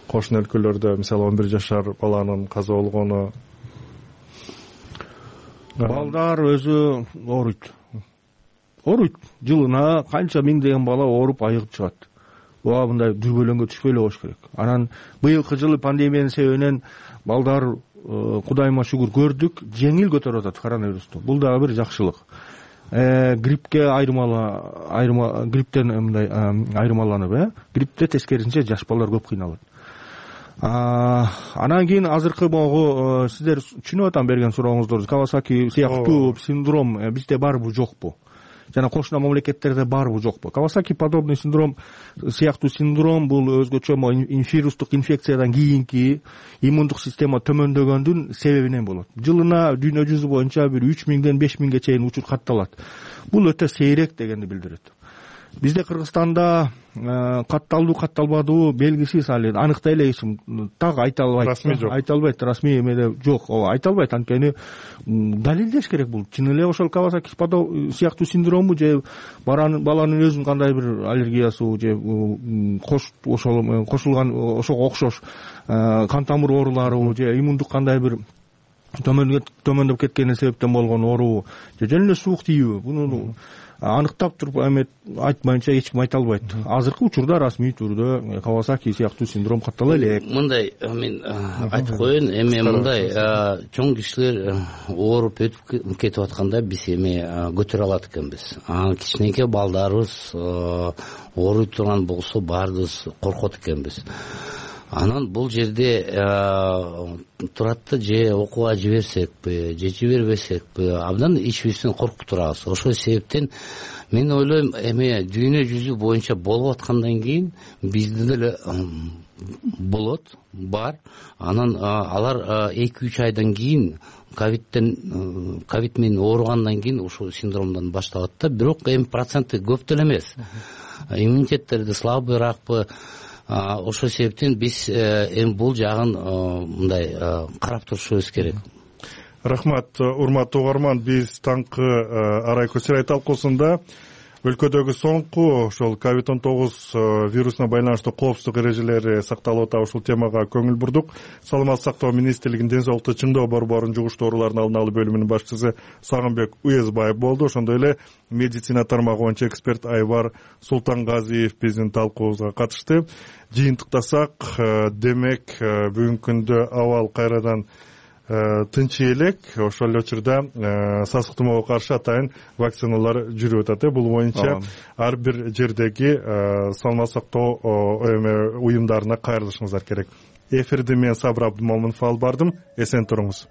кошуна өлкөлөрдө мисалы 11 жашар баланын каза болгону, балдар өзү ооруйт, жылына канча миңдеген бала ооруп айыгып чыгат. Ооба, мындай дүрбөлөңгө түшпөй эле коюш керек. Анан быйылкы жылы пандемиянын себебинен балдар, Кудайыма шүгүр, көрдүк, жеңил көтөрүп атат коронавирусту. Бул дагы бир жакшылык. Грипптен мындай айырмаланып, гриптте тескерисинче жаш балдар көп кыйналат. Анан кийин азыркы могу сиздер түшүнүп атам берген сурооңуздорду. Кавасаки сыяктуу синдром бизде барбы, жокпу? Жана кошуна мамлекеттерде барбы, жокпу? Кавасаки подобный синдром, сыяктуу синдром бул өзгөчө вирустук инфекциядан кийинки иммундук система төмөндөгөндүн себебинен болот. Жылына дүйнө жүзү боюнча бир 3000ден 5000ге чейин учур катталат. Бул өтө сейрек дегенди билдирет. Бизде Кыргызстанда катталдуу катталбадуу белгисиз, али аныктай эле так айта албайт, расмий эмеде жок. Ооба, айта албайт, анткени далилдеш керек. Бул чын эле ошол Кавасаки сыяктуу синдромбу же баланын өзүнүн кандай бир аллергиясы же ошол кошулган ошого окшош кан тамыр ооруларыбы же иммундук кандай бир төмөндөп кеткени себептен болгон оорубу же жөн эле суук тийүүбү, буну аныктап туруп айтмайынча эч ким айта албайт. Азыркы учурда расмий түрдө Кавасаки сыяктуу синдром каттала элек. Мындай мен айтып коеюн, эми мындай чоң кишилер ооруп өтүп кетип атканда биз эми көтөрө алат экенбиз. Кичинекей балдарыбыз ооруй турган болсо баарыбыз коркот экенбиз. Анан бул жерде турат да, же окууга жиберсекпи, же жибербесекпи, абдан ичибизден коркуп турабыз. Ошол себептен мен ойлойм, эми дүйнө жүзү боюнча болуп аткандан кийин бизде деле болот, бар. Анан алар 2-3 айдан кийин ковид менен ооругандан кийин ушул синдромдон башталат да. Бирок эми проценти көп деле эмес. Иммунитеттерди слабыйраакпы. Ошол себептен биз эми бул жагын мындай карап турушубуз керек. Рахмат, урматтуу угарман. Биз таңкы арай көчүрай талкуусунда өлкөдөгү соңку ошол COVID-19 вирусуна байланыштуу коопсуздук эрежелери сакталып атабы, ушул темага көңүл бурдук. Саламаттык сактоо министрлигинин ден соолукту чыңдоо борборунун жугуштуу оорулардын алдын алуу бөлүмүнүн башчысы Сагынбек Уезбаев болду. Ошондой эле медицина тармагы боюнча эксперт Айбар Султангазиев биздин талкуубузга катышты. Жыйынтыктасак, демек бүгүнкү күндө абал кайрадан тынчый элек. Ошол эле учурда сасык тумоого каршы атайын вакциналар жүрүп атат. Бул боюнча ар бир жердеги саламаттык сактоо уюмдарына кайрылышыңыздар керек. Эфирди мен Сабыр Абдымомунов алып бардым. Эсен туруңуз.